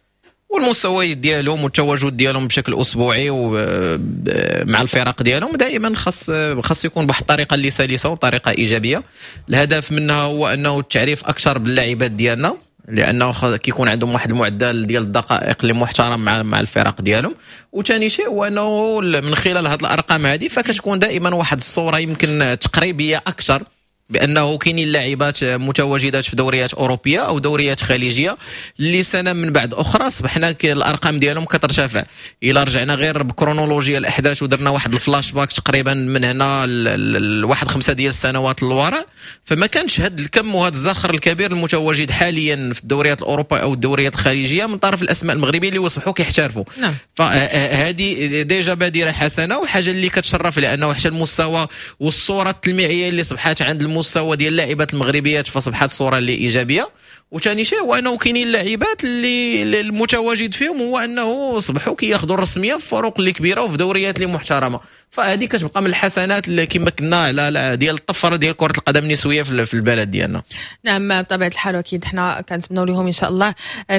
والمستويات ديالهم والتواجد ديالهم بشكل اسبوعي ومع الفرق ديالهم دائما خاص يكون بواحد الطريقة اللي سلسه وطريقه ايجابية. الهدف منها هو انه التعريف اكثر باللاعبات ديالنا، لانه كيكون عندهم واحد المعدل ديال الدقائق اللي محترم مع الفرق ديالهم. وثاني شيء هو انه من خلال هذه الارقام هذه فكتكون دائما واحد الصورة يمكن تقريبية اكثر بانه كاينين لاعبات متواجدات في دوريات اوروبية او دوريات خليجية اللي سنة من بعد اخرى اصبحنا الارقام ديالهم كترتفع. الى رجعنا غير بكرونولوجيا الاحداث ودرنا واحد الفلاش باك تقريبا من هنا لواحد 5 ديال السنوات للوراء، فما كانش هذا الكم وهذا الزخر الكبير المتواجد حاليا في الدوريات الاوروبية او الدوريات الخليجية من طرف الاسماء المغربية اللي وصبحوا كيحترفوا. نعم. فهذه déjà بادره حسنه وحاجه اللي كتشرف، لانه حتى المستوى والصورة التلميعيه اللي صبحات عند المستوى ديال اللاعبات المغربيات فصبحت صوره اللي ايجابية. وثاني شيء هو انه كاينين اللاعبات اللي المتواجد فيهم هو انه صبحوا كياخذوا الرسمية في فروق اللي كبيرة وفي دوريات اللي محترمه، فهذه كتبقى من الحسنات اللي كما كنا على ديال الطفرة ديال كره القدم النسوية في البلد ديالنا. نعم بطبيعة الحال، اكيد حنا كنتمنوا لهم ان شاء الله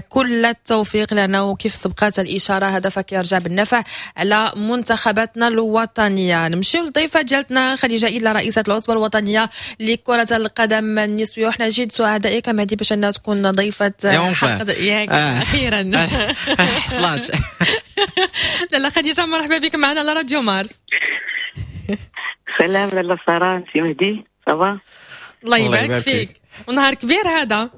كل التوفيق، لانه كيف سبقات الاشارة هدفك كيرجع بالنفع على منتخباتنا الوطنية. نمشيو للضيفه ديالتنا خديجة إلا رئيسه العصبة الوطنية لكرة القدم النسوية، وحنا جد سعداء كما هذه باش انها تكون ضيفه حلقة ياك اخيرا حصلات. لاله خديجة مرحبا بك معنا على راديو مارس. سلام لاله ساره، سي مهدي، ça va؟ الله يبارك فيك، ونهار كبير هذا.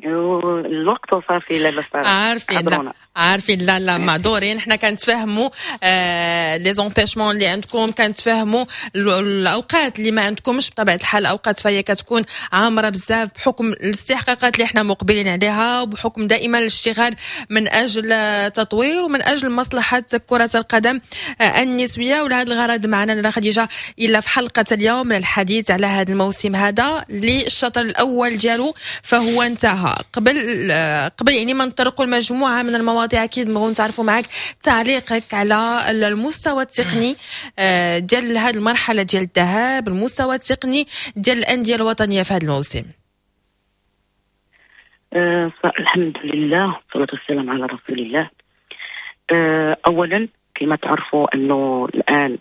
الوقت وصافي. لا لا، عارفين، لا عارفين، لا لا، معذورين. حنا كنتفاهموا les empêchements اللي عندكم، كنتفاهموا الاوقات اللي ما عندكمش. بطبيعة الحال الاوقات فهي كتكون عامرة بزاف بحكم الاستحقاقات اللي حنا مقبلين عليها، وبحكم دائما الاشتغال من اجل تطوير ومن اجل مصلحة كره القدم النسويه. ولهذا الغرض معنا لاله خديجة الا في حلقة اليوم للحديث على هذا الموسم هذا اللي الشطر الاول ديالو فهو انتهى. قبل يعني ما نطرقوا المجموعة من المواضيع، اكيد نبغوا نتعرفوا معك تعليقك على المستوى التقني ديال هذه المرحلة ديال الذهاب، المستوى التقني ديال الاندية الوطنية في هذا الموسم. الحمد لله والصلاة والسلام على رسول الله. اولا كما تعرفوا انه الان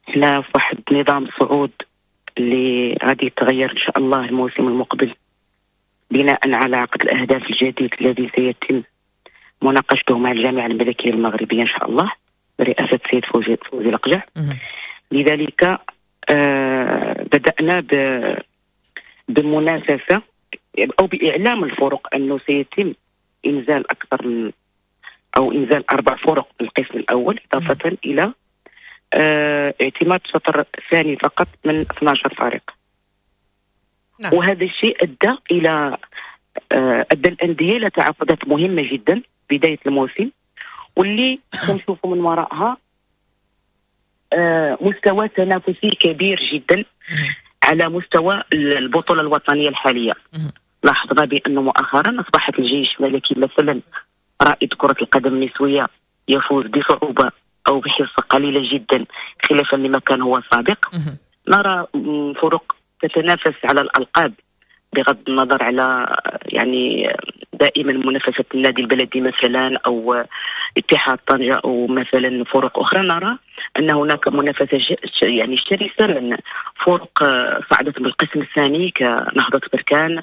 احنا في واحد نظام صعود اللي غادي يتغير ان شاء الله الموسم المقبل بناء على عقد الاهداف الجديد الذي سيتم مناقشته مع الجامعة الملكية المغربية ان شاء الله برئاسة السيد فوزي لقجع. لذلك بدانا بمنافسه او باعلام الفرق انه سيتم انزال اكثر من او انزال اربع فرق من القسم الاول، اضافه الى اعتماد شطر ثاني فقط من 12 فريق. وهذا الشيء ادى الاندية الى تعاقدات مهمة جدا بداية الموسم، واللي كنشوفوا من وراءها مستوى تنافسي كبير جدا على مستوى البطولة الوطنية الحالية. لاحظنا بانه مؤخرا اصبحت الجيش الملكي مثلا رائد كره القدم النسوية يفوز بصعوبة او بحصة قليله جدا خلافا لما كان هو سابق. نرى فرق تتنافس على الالقاب بغض النظر على يعني دائما منافسه النادي البلدي مثلا او اتحاد طنجه او مثلا فرق اخرى. نرى ان هناك منافسه يعني شرسة من فرق صعدت بالقسم الثاني كنهضه بركان،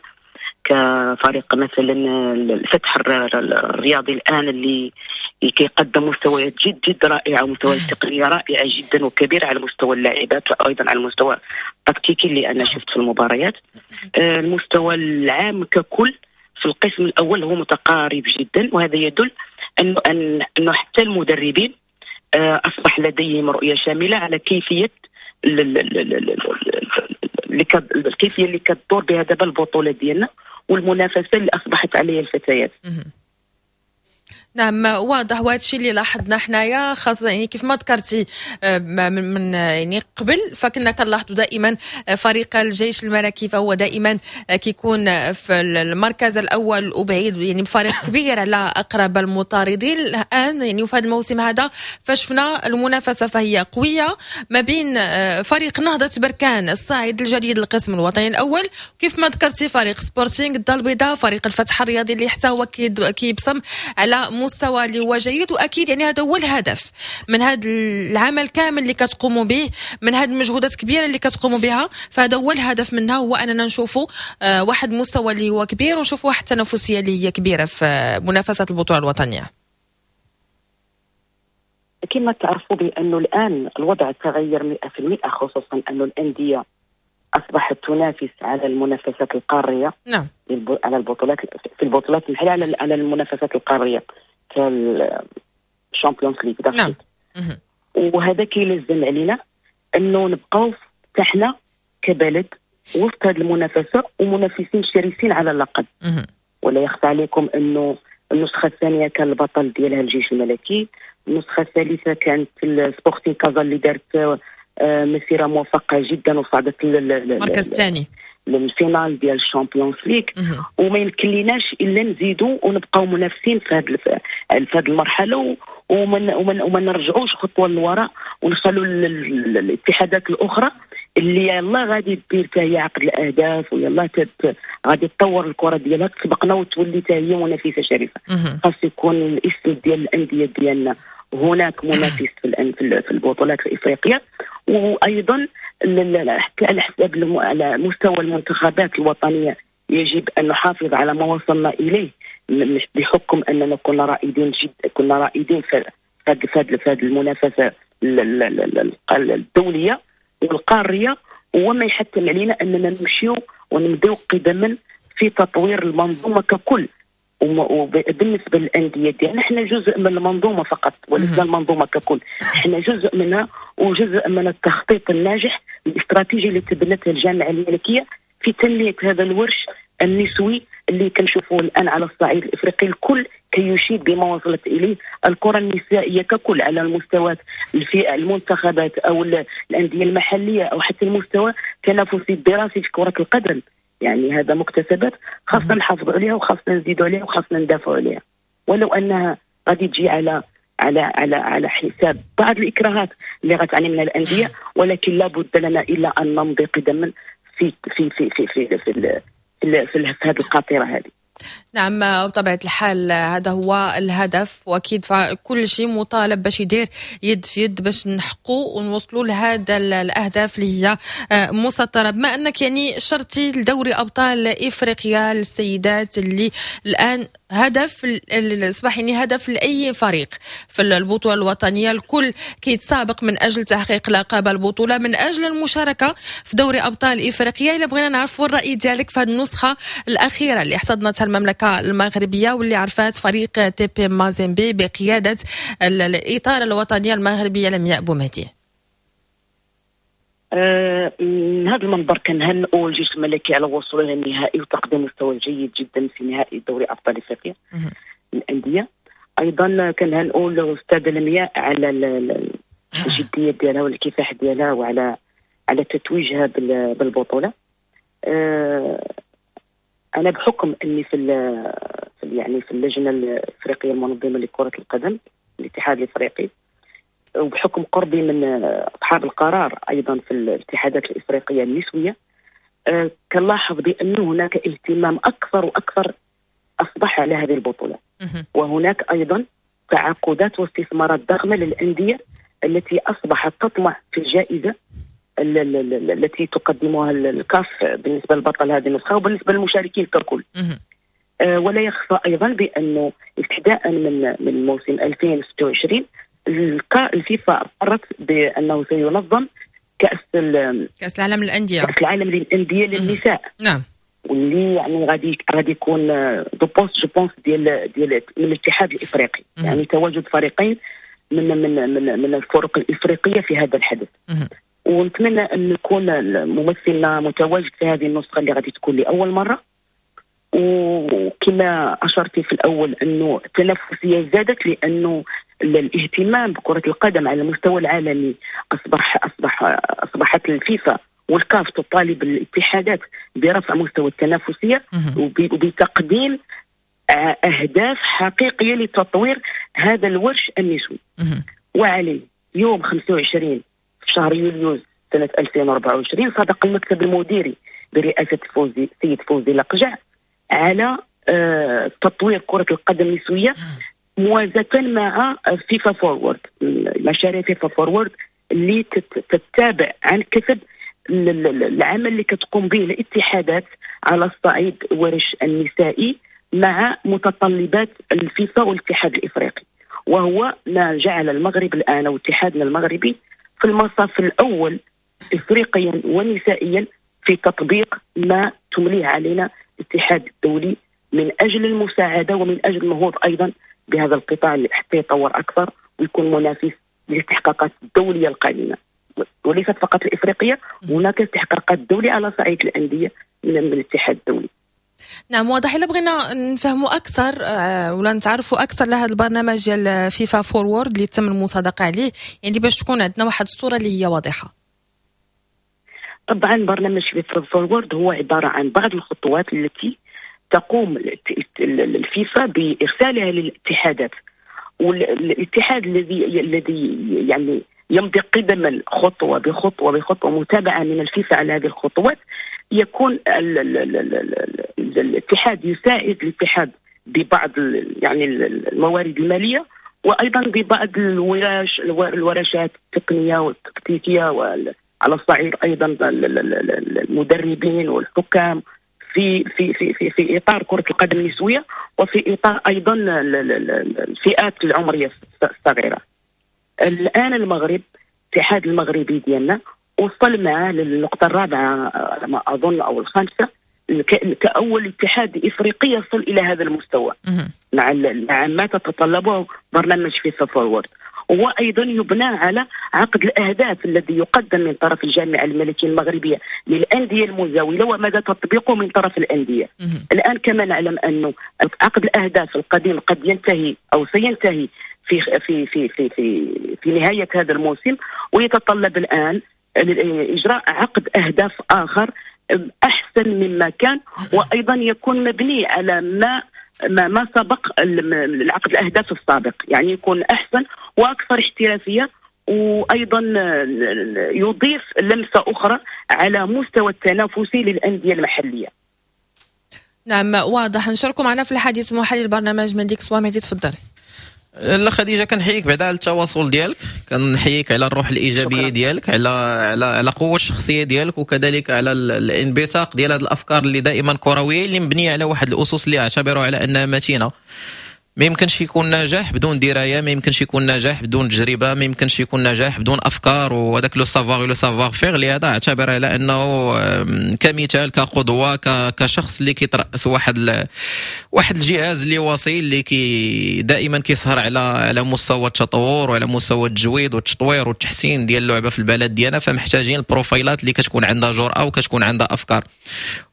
كفريق مثلا الفتح الرياضي الان اللي كيقدم مستويات جد جد رائعة ومستويات تقنية رائعة جدا وكبيره على مستوى اللاعبات وايضا على المستوى التكتيكي اللي انا شفت في المباريات. المستوى العام ككل في القسم الاول هو متقارب جدا، وهذا يدل انه حتى المدربين اصبح لديهم رؤية شاملة على كيفية الكيفية اللي كتدور بها دابا البطولة ديالنا والمنافسه اللي اصبحت عليها الفتيات. نعم واضح، وهذا الشيء اللي لاحظنا حنايا خاصة يعني كيف ما ذكرتي من يعني قبل، فكنا كنلاحظوا دائما فريق الجيش الملكي فهو دائما كيكون في المركز الاول وبعيد يعني بفريق كبير على اقرب المطاردين. الان يعني في هذا الموسم هذا فشفنا المنافسة فهي قوية ما بين فريق نهضة بركان الصاعد الجديد للقسم الوطني الاول، كيف ما ذكرتي فريق سبورتينغ الدار البيضاء، فريق الفتح الرياضي اللي حتى هو كيبصم على مستوى اللي هو جيد. واكيد يعني هذا هو الهدف من هذا العمل كامل اللي كتقوموا به، من هذه المجهودات الكبيرة اللي كتقوموا بها، فهذا هو الهدف منها، هو اننا نشوفوا واحد المستوى اللي هو كبير ونشوفوا واحد التنافسية اللي هي كبيرة في منافسه البطولة الوطنية. كما تعرفوا بانه الان الوضع تغير 100%، خصوصا انه الاندية اصبحت تنافس على المنافسات القارية. على البطولات في البطولات المحلية، على المنافسات القارية كال Champions League. وهذا كيلزم علينا انه نبقاو حنا كبلد وسط هذه المنافسة ومنافسين شرسين على اللقب. ولا يخفى عليكم انه النسخة الثانية كان البطل ديالها الجيش الملكي، النسخة الثالثة كانت السبورتينغ كازا اللي دارت مسيره موفقة جدا وصعدت المركز الثاني لل finale ديال ال Champions League. وما يمكن ليناش الا نزيدوا ونبقاو منافسين في هذه المرحلة وما نرجعوش خطوة للوراء ونخلوا الاتحادات الاخرى اللي يلا غادي دير حتى هي عقد الاهداف ويلا غادي تطور الكره ديالها تسبقنا وتولي حتى هي منافسه شريفه. خاص يكون الاسم ديال الاندية ديالنا هناك منافس في البطولات الافريقية، وايضا حتى على حساب على مستوى المنتخبات الوطنية يجب ان نحافظ على ما وصلنا اليه بحكم اننا كنا رائدين جدا، كنا رائدين في هذه المنافسة الدولية والقاريه، وما يحتم علينا اننا نمشيو ونمضيو قدما في تطوير المنظومة ككل. وبالنسبة للاندية ديالنا احنا جزء من المنظومة فقط ولسنا المنظومة ككل، احنا جزء منها وجزء من التخطيط الناجح الاستراتيجي اللي تبنته الجامعة الملكية في تنمية هذا الورش النسوي اللي كنشوفوه الان على الصعيد الافريقي. الكل كيشيد بما وصلت اليه الكره النسائية ككل على المستويات الفئة المنتخبات او الاندية المحلية او حتى المستوى التنافسي الدراسي في كره القدم. يعني هذا مكتسبات خاصنا نحافظوا عليها وخاصنا نزيدوا عليها وخاصنا ندافعوا عليها، ولو انها غادي تجي على على على على حساب بعض الاكراهات اللي غتعاني منها الاندية، ولكن لا بد لنا الا ان نمضي قدما في في في في في في, في, في, في, في هذه القاطره هذه. نعم، بطبيعة الحال هذا هو الهدف، وأكيد كل شيء مطالب باش يدير يد في يد باش نحقوا ونوصلوا لهذا الأهداف اللي هي مسطرة. بما أنك يعني شرتي لدوري أبطال إفريقيا للسيدات اللي الآن هدف اصبح يعني هدف لاي فريق في البطولة الوطنية، الكل كيتسابق من اجل تحقيق لقب البطولة، من اجل المشاركة في دوري ابطال افريقيا. الا بغينا نعرفوا الراي ديالك في هذه النسخة الاخيرة اللي احتضنتها المملكة المغربية واللي عرفات فريق تي بي مازيمبي بقيادة الاطار الوطنية المغربية لمياء بومهدي. من هذا المنبر كنهنئوا الجيش الملكي على وصوله للنهائي وتقديم مستوى جيد جدا في نهائي دوري ابطال افريقيا للاندية. ايضا كنهنئوا الاستاذة لمياء على الجدية ديالها والكفاح ديالها وعلى تتويجها بالبطولة. انا بحكم اني في يعني في اللجنة الافريقية المنظمة لكرة القدم الاتحاد الافريقي، وبحكم قربي من اصحاب القرار ايضا في الاتحادات الافريقية النسوية، كنلاحظ بان هناك اهتمام اكثر واكثر اصبح على هذه البطولة، وهناك ايضا تعاقدات واستثمارات ضخمة للاندية التي اصبحت تطمع في الجائزة التي تقدمها الكاف بالنسبة للبطل هذه النسخة وبالنسبة للمشاركين ككل. ولا يخفى ايضا بانه ابتداء من موسم 2026 الفيفا قررت بانه سينظم كاس العالم للاندية، كاس العالم للاندية للنساء. نعم، واللي يعني غادي يكون deux postes je pense ديال من الاتحاد الافريقي، يعني تواجد فريقين من من من من الفرق الافريقية في هذا الحدث. ونتمنى ان يكون ممثلنا متواجد في هذه النسخة اللي غادي تكون لاول مرة. وكما اشرتي في الاول انه التنافسية زادت لانه الاهتمام بكرة القدم على المستوى العالمي أصبحت الفيفا والكاف تطالب الاتحادات برفع مستوى التنافسية وبتقديم أهداف حقيقية لتطوير هذا الورش النسوي. وعليه يوم 25 في شهر يوليو سنة 2024 صادق المكتب المديري برئاسة سيد فوزي لقجع على تطوير كرة القدم النسوية موازاة مع فيفا فورورد، مشاريع فيفا فورورد اللي تتابع عن كثب العمل اللي كتقوم به الاتحادات على الصعيد ورش النسائي مع متطلبات الفيفا والاتحاد الافريقي، وهو ما جعل المغرب الان واتحادنا المغربي في المصاف الاول افريقيا ونسائيا في تطبيق ما تمليه علينا الاتحاد الدولي من اجل المساعدة ومن اجل النهوض ايضا بهذا القطاع حتى يتطور اكثر ويكون منافس للاستحقاقات الدولية القادمة، وليست فقط الافريقية، هناك استحقاقات دولية على صعيد الاندية من الاتحاد الدولي. نعم، واضح. الا بغينا نفهموا اكثر ولا نتعرفوا اكثر لهذا البرنامج ديال فيفا فورورد اللي تم المصادقة عليه، يعني باش تكون عندنا واحد الصورة اللي هي واضحة. طبعا برنامج فيفا فورورد هو عبارة عن بعض الخطوات التي تقوم الفيفا بارسالها للاتحادات، والاتحاد الذي يعني يمضي قدما خطوة بخطوة بخطوة متابعه من الفيفا على هذه الخطوات، يكون الاتحاد يساعد الاتحاد ببعض يعني الموارد المالية وايضا ببعض الورشات التقنية والتكتيكيه، وعلى الصعيد ايضا المدربين والحكام في في في في في اطار كره القدم النسوية، وفي اطار ايضا الفئات العمرية الصغيرة. الان المغرب، الاتحاد المغربي ديالنا وصل معاه للنقطة الرابعة على ما اظن او الخامسة كأول اتحاد إفريقي يصل إلى هذا المستوى مع ما تتطلبه برنامج فيفا فورورد. وأيضا يبنى على عقد الأهداف الذي يقدم من طرف الجامعة الملكية المغربية للأندية المزاولة ومدى تطبيقه من طرف الأندية. الآن كما نعلم أنه عقد الأهداف القديم قد ينتهي أو سينتهي في في في في في, في نهاية هذا الموسم، ويتطلب الآن إجراء عقد أهداف آخر أحسن مما كان، وأيضا يكون مبني على ما سبق العقد الأهداف السابق، يعني يكون أحسن وأكثر احترافية، وأيضا يضيف لمسة أخرى على مستوى التنافسي للأندية المحلية. نعم واضح. نشاركوا معنا في الحديث محلل البرنامج مهدي كسوا. مهدي تفضل. لا خديجة، كنحييك بعدا على التواصل ديالك، كنحييك على الروح الايجابية ديالك، على على على قوة الشخصية ديالك، وكذلك على الانبثاق ديال هذه الافكار اللي دائما كروية، اللي مبنية على واحد الاسس اللي اعتبرها على انها متينة. ما يمكنش يكون نجاح بدون دراية، ما يمكنش يكون نجاح بدون تجربه، ما يمكنش يكون نجاح بدون افكار، وهذاك le savoir le savoir-faire. لهذا اعتبر على انه كمثال، كقدوه، كشخص اللي كيترأس واحد الجهاز اللي وصي، اللي كي دائما كيسهر على مستوى التطور وعلى مستوى التجويد والتطوير والتحسين ديال اللعبة في البلد ديالنا. فمحتاجين البروفايلات اللي كتكون عندها جرأه وكتكون عندها افكار.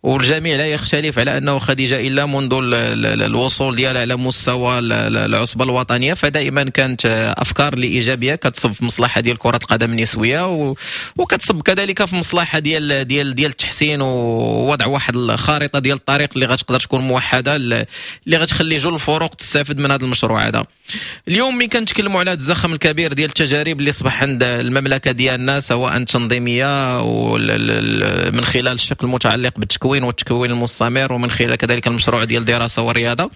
والجميع لا يختلف على انه خديجة الا منذ الوصول ديالها على مستوى العصبة الوطنية فدائما كانت افكار اللي ايجابية كتصب في مصلحة ديال كره القدم النسوية، وكتصب كذلك في مصلحة ديال ديال ديال التحسين ووضع واحد الخارطة ديال الطريق اللي غتقدر تكون موحدة، اللي غتخلي جل الفرق تستافد من هذا المشروع هذا. اليوم ملي كنتكلموا على هذا الزخم الكبير ديال التجارب اللي صبح عند المملكة ديالنا، سواء التنظيمية من خلال الشق المتعلق بالتكوين والتكوين المستمر، ومن خلال كذلك المشروع ديال الدراسة والرياضة،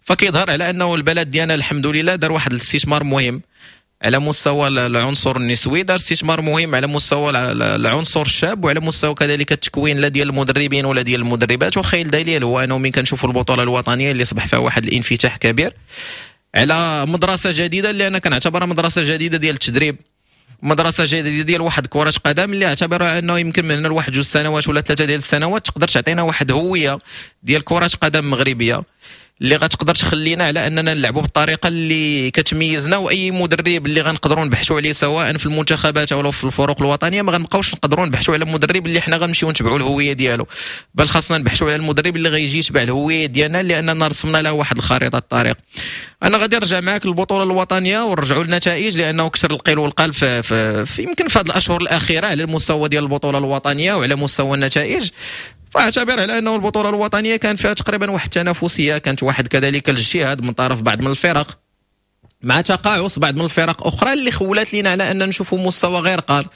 فكيظهر على انه البلد ديالنا الحمد لله دار واحد الاستثمار مهم على مستوى العنصر النسوي، دار استثمار مهم على مستوى العنصر الشاب، وعلى مستوى كذلك التكوين لا ديال المدربين ولا ديال المدربات. وخير دليل هو انه من كنشوفوا البطولة الوطنية اللي صبح فيها واحد الانفتاح كبير على مدرسه جديدة، اللي انا كنعتبرها مدرسه جديدة ديال التدريب، مدرسه جديدة ديال واحد كره قدم، اللي اعتبرها انه يمكن من هنا لواحد 2 سنوات ولا 3 ديال السنوات تقدر تعطينا واحد هوية ديال كره قدم مغربية اللي غتقدر تخلينا على اننا نلعبوا بالطريقة اللي كتميزنا، واي مدرب اللي غنقدروا نبحثوا عليه سواء في المنتخبات او في الفرق الوطنية ما غنبقاوش نقدروا نبحثوا على مدرب اللي حنا غنمشيو نتبعوا الهوية ديالو، بل خاصنا نبحثوا على المدرب اللي غيجي يتبع الهوية ديالنا، لاننا رسمنا له واحد الخريطة الطريق. انا غادي نرجع معاك للبطولة الوطنية ونرجعوا للنتائج، لانه كثر القيل والقال في يمكن في هذه الاشهر الاخيرة على المستوى ديال البطولة الوطنية وعلى مستوى النتائج. فاعتبر على انه البطولة الوطنية كان فيها تقريبا واحد التنافسية، كانت واحد كذلك الاجتهاد من طرف بعض من الفرق مع تقاعس بعض من الفرق اخرى اللي خولات لنا على ان نشوفوا مستوى غير قار.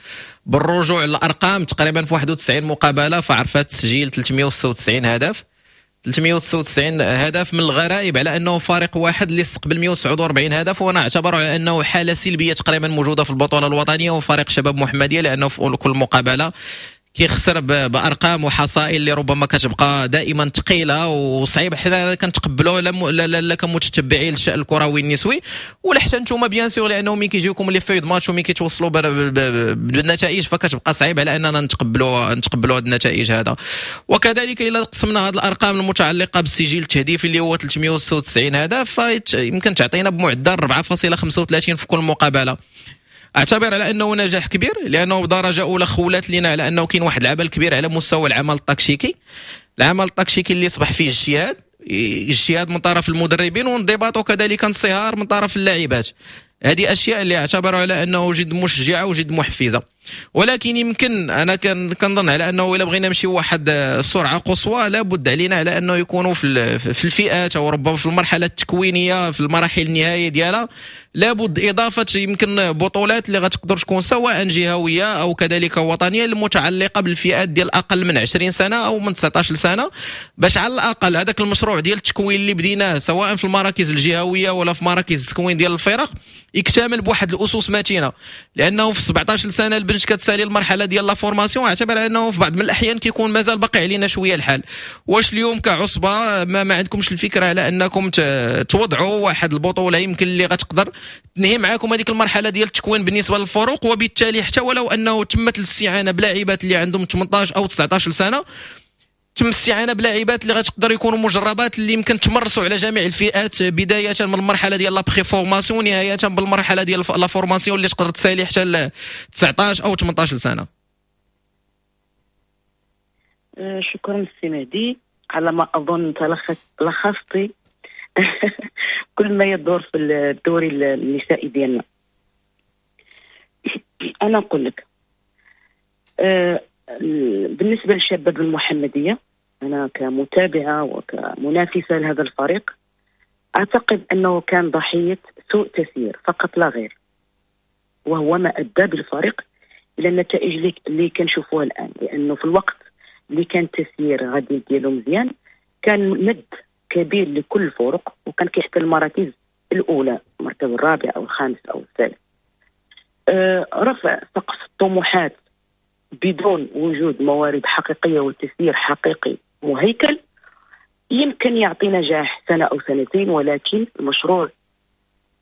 بالرجوع للارقام تقريبا في 91 مقابله فعرفت تسجيل 396 هدف، 396 هدف من الغرائب على انه فريق واحد اللي استقبل 149 هدف، وانا اعتبره على انه حاله سلبية تقريبا موجودة في البطولة الوطنية وفريق شباب محمديه، لانه في كل مقابله كيخسر بارقام وحصائل اللي ربما كتبقى دائما ثقيلة وصعيب حنا كنتقبلوها لا لا لا كمتتبعين للشان الكروي النسوي، ولا حتى نتوما bien sûr، لانه ملي كيجيوكم les feuilles de match وملي كيتوصلوا بالنتائج فكتبقى صعيب على اننا نتقبلوا هذه النتائج هذا. وكذلك الا قسمنا هذه الارقام المتعلقة بالسجل التهديفي اللي هو 396 هدف، فيمكن تعطينا بمعدل 4.35 في كل مقابله. اعتبر على انه نجاح كبير، لانه بدرجة اولى خولات لنا على انه كاين واحد العمل كبير على مستوى العمل التكتيكي، العمل التكتيكي اللي اصبح فيه اجتهاد من طرف المدربين، وانضباط وكذلك انصهار من طرف اللاعبات. هذه اشياء اللي اعتبروا على انه جد مشجعه وجد محفزه. ولكن يمكن انا كنظن على انه الا بغينا نمشيو واحد السرعة قصوى لابد علينا على انه يكونوا في الفئات او ربما في المرحلة التكوينيه في المراحل النهائية ديالها لابد اضافه يمكن بطولات اللي غتقدر تكون سواء جهويه او كذلك وطنية المتعلقة بالفئات ديال اقل من 20 سنة او من 19 سنة، باش على الاقل هذاك المشروع ديال التكوين اللي بديناه سواء في المراكز الجهوية ولا في مراكز التكوين ديال الفرق يكتمل بواحد الاسس متينة. لانه في 17 سنة البنت كتسالي المرحلة ديال la formation، اعتبر انه في بعض من الاحيان كيكون مازال باقي علينا شوية الحال. واش اليوم كعصبه ما عندكمش الفكرة على انكم توضعوا واحد البطولة يمكن اللي غتقدر تنهي معاكم هذيك المرحلة ديال التكوين بالنسبة للفروق، وبالتالي حتى ولو انه تمت الاستعانة بلاعبات اللي عندهم 18 او 19 سنة تم الاستعانة بلاعبات اللي غتقدر يكونوا مجربات، اللي يمكن تمرسوا على جميع الفئات، بداية من المرحلة ديال la préformation نهاية بالمرحلة ديال la formation اللي تقدر تسالي حتى 19 او 18 سنة. شكرا سي مهدي، على ما اظن لخصتي كل ما يدور في الدوري النسائي ديالنا. انا نقول لك بالنسبة للشباب المحمدية، انا كمتابعه وكمنافسه لهذا الفريق اعتقد انه كان ضحية سوء تسيير فقط لا غير، وهو ما ادى بالفريق الى النتائج اللي كنشوفوها الان، لانه في الوقت اللي كان التسيير غادي ديالو مزيان كان ند كبير لكل الفرق، وكان كيحتل المراكز الاولى، المركز الرابع او الخامس او الثالث. رفع سقف الطموحات بدون وجود موارد حقيقية وتسيير حقيقي مهيكل يمكن يعطي نجاح سنة او سنتين، ولكن المشروع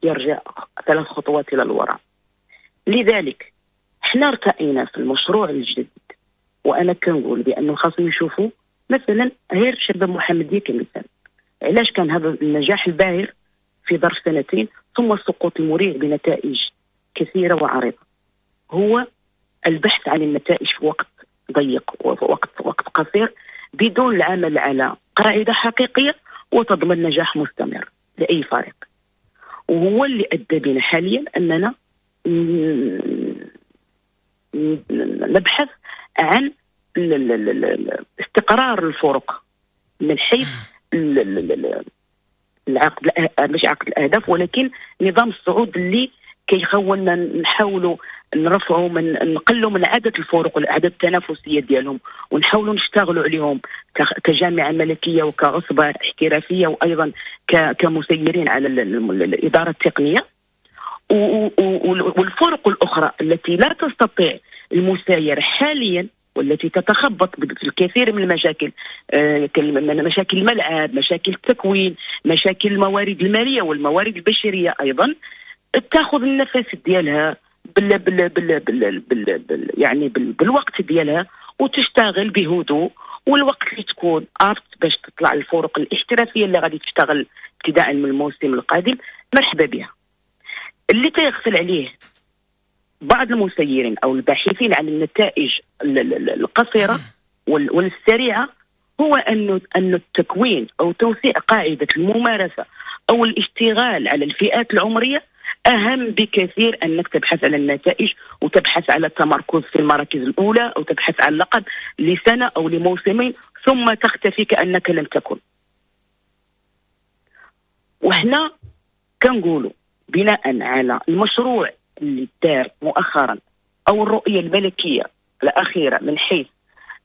يرجع 3 خطوات الى الوراء. لذلك احنا ارتئينا في المشروع الجديد، وانا كنقول بانه خاصهم يشوفوا مثلا غير شباب محمديه كمثال، علاش كان هذا النجاح الباهر في ظرف سنتين ثم السقوط المريع بنتائج كثيرة وعريضه؟ هو البحث عن النتائج في وقت ضيق ووقت وقت قصير بدون العمل على قاعدة حقيقية وتضمن نجاح مستمر لاي فريق، وهو اللي ادى بنا حاليا اننا نبحث عن استقرار الفرق من حيث العقد، مش عقد الاهداف، ولكن نظام الصعود اللي كيخولنا نحاولوا نرفعوا من نقلوا من عدد الفرق والاعداد التنافسية ديالهم، ونحاولوا نشتغلوا عليهم كجامعه ملكية وكعصبه احترافية، وايضا كمسيرين على الادارة التقنية. والفرق الاخرى التي لا تستطيع المسايره حاليا والتي تتخبط في الكثير من المشاكل، مشاكل الملعب، مشاكل التكوين، مشاكل الموارد المالية والموارد البشرية ايضا، تاخذ النفس ديالها بال بال بال بال بال بال يعني بالوقت ديالها وتشتغل بهدوء، والوقت اللي تكون apte باش تطلع الفرق الاحترافية اللي غادي تشتغل ابتداء من الموسم القادم مرحبا بها. اللي تيغفل عليه بعض المسيرين او الباحثين عن النتائج القصيرة والسريعه هو انه التكوين او توسيع قاعدة الممارسة او الاشتغال على الفئات العمرية اهم بكثير انك تبحث على النتائج وتبحث على التمركز في المراكز الاولى او تبحث عن لقب لسنه او لموسمين ثم تختفي كانك لم تكن. وحنا كنقولوا بناء على المشروع اللي دار مؤخرا او الرؤية الملكية الاخيرة من حيث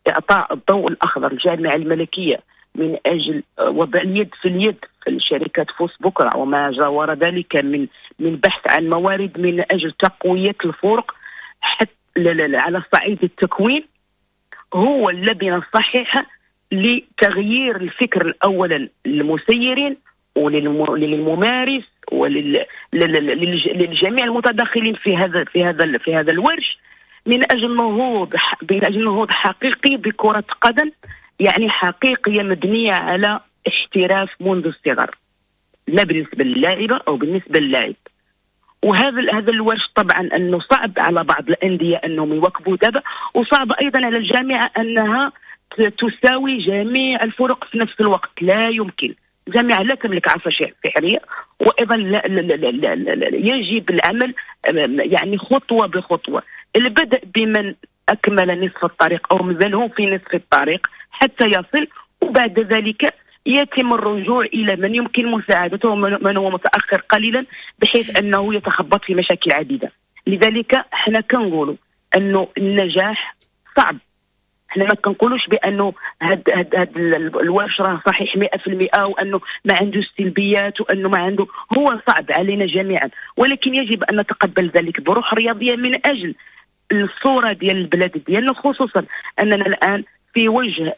اعطاء الضوء الاخضر للجامعة الملكية من اجل وضع اليد في اليد في الشركات فوس بكره وما جاور ذلك من بحث عن موارد من اجل تقوية الفرق حتى على صعيد التكوين، هو اللبنة الصحيحة لتغيير الفكر اولا للمسيرين وللممارس وللجميع المتدخلين في هذا الورش من اجل نهوض حقيقي بكره قدم يعني حقيقية مبنية على احتراف منذ الصغر، لا بالنسبة للاعبه او بالنسبة للاعب. وهذا الورش طبعا انه صعب على بعض الاندية انهم يواكبوا دابا، وصعب ايضا على الجامعة انها تساوي جميع الفرق في نفس الوقت، لا يمكن. الجامعة لا تملك عصا سحريه، وايضا لا لا لا لا لا لا يجب العمل يعني خطوة بخطوة، البدء بمن اكمل نصف الطريق او مازال في نصف الطريق حتى يصل، وبعد ذلك يتم الرجوع الى من يمكن مساعدته ومن هو متاخر قليلا بحيث انه يتخبط في مشاكل عديدة. لذلك احنا كنقولوا انه النجاح صعب، احنا ما كنقولوش بانه هاد الورش راه صحيح 100% وانه ما عنده سلبيات وانه ما عنده، هو صعب علينا جميعا، ولكن يجب ان نتقبل ذلك بروح رياضية من اجل الصورة ديال البلاد ديالنا، خصوصا اننا الان في وجه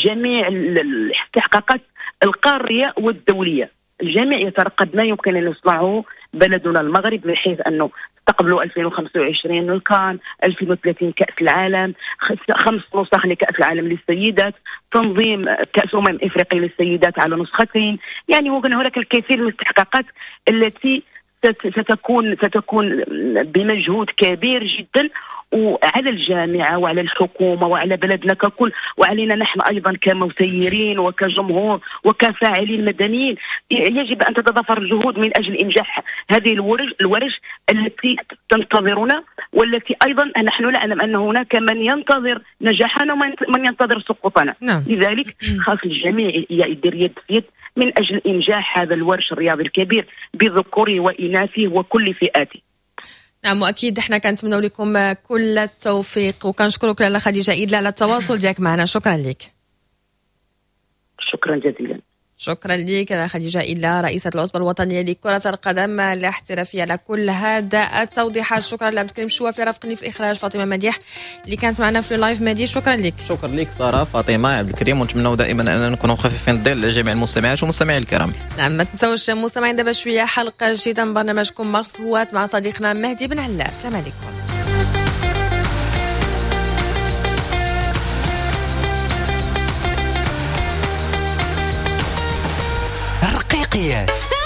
جميع الاستحقاقات القارية والدولية، الجميع يترقب ما يمكن ان يصنعه بلدنا المغرب، من حيث انه استقبلوا 2025 الكان، 2030 كأس العالم، 5 نسخ لكأس العالم للسيدات، تنظيم كأس افريقيا للسيدات على نسختين. يعني هناك الكثير من الاستحقاقات التي ستكون بمجهود كبير جدا، وعلى الجامعة وعلى الحكومة وعلى بلدنا ككل، وعلينا نحن أيضا كمسيرين وكجمهور وكفاعلين مدنيين، يجب أن تتضافر الجهود من أجل إنجاح هذه الورش التي تنتظرنا، والتي أيضا نحن نعلم أن هناك من ينتظر نجاحنا ومن ينتظر سقوطنا. نعم. لذلك خاص الجميع يدير يد في يد من أجل إنجاح هذا الورش الرياضي الكبير بذكوره وإناثه وكل فئاته. نعم، واكيد احنا كنتمنوا لكم كل التوفيق، وكنشكرك لاله خديجة إيدلا على التواصل ديالك معنا. شكرا لك. شكرا جزيلا. شكرا لك لاله خديجة إيدلا، رئيسة العصبة الوطنية لكرة القدم الاحترافية، على كل هذا التوضيحات. شكرا لعبد الكريم شوافي رافقني في الإخراج، فاطمة مديح اللي كانت معنا في ال live. مديح شكرا لك. شكرا لك سارة، فاطمة، عبد الكريم، ونتمنوا دائما أننا نكونوا خفيفين الظل لجميع المستمعات والمستمعين الكرام. نعم، ما تنساوش مستمعين دابا شوية حلقة جديدة من برنامجكم مارس هوات مع صديقنا مهدي بن علال. السلام عليكم. رقيقيات.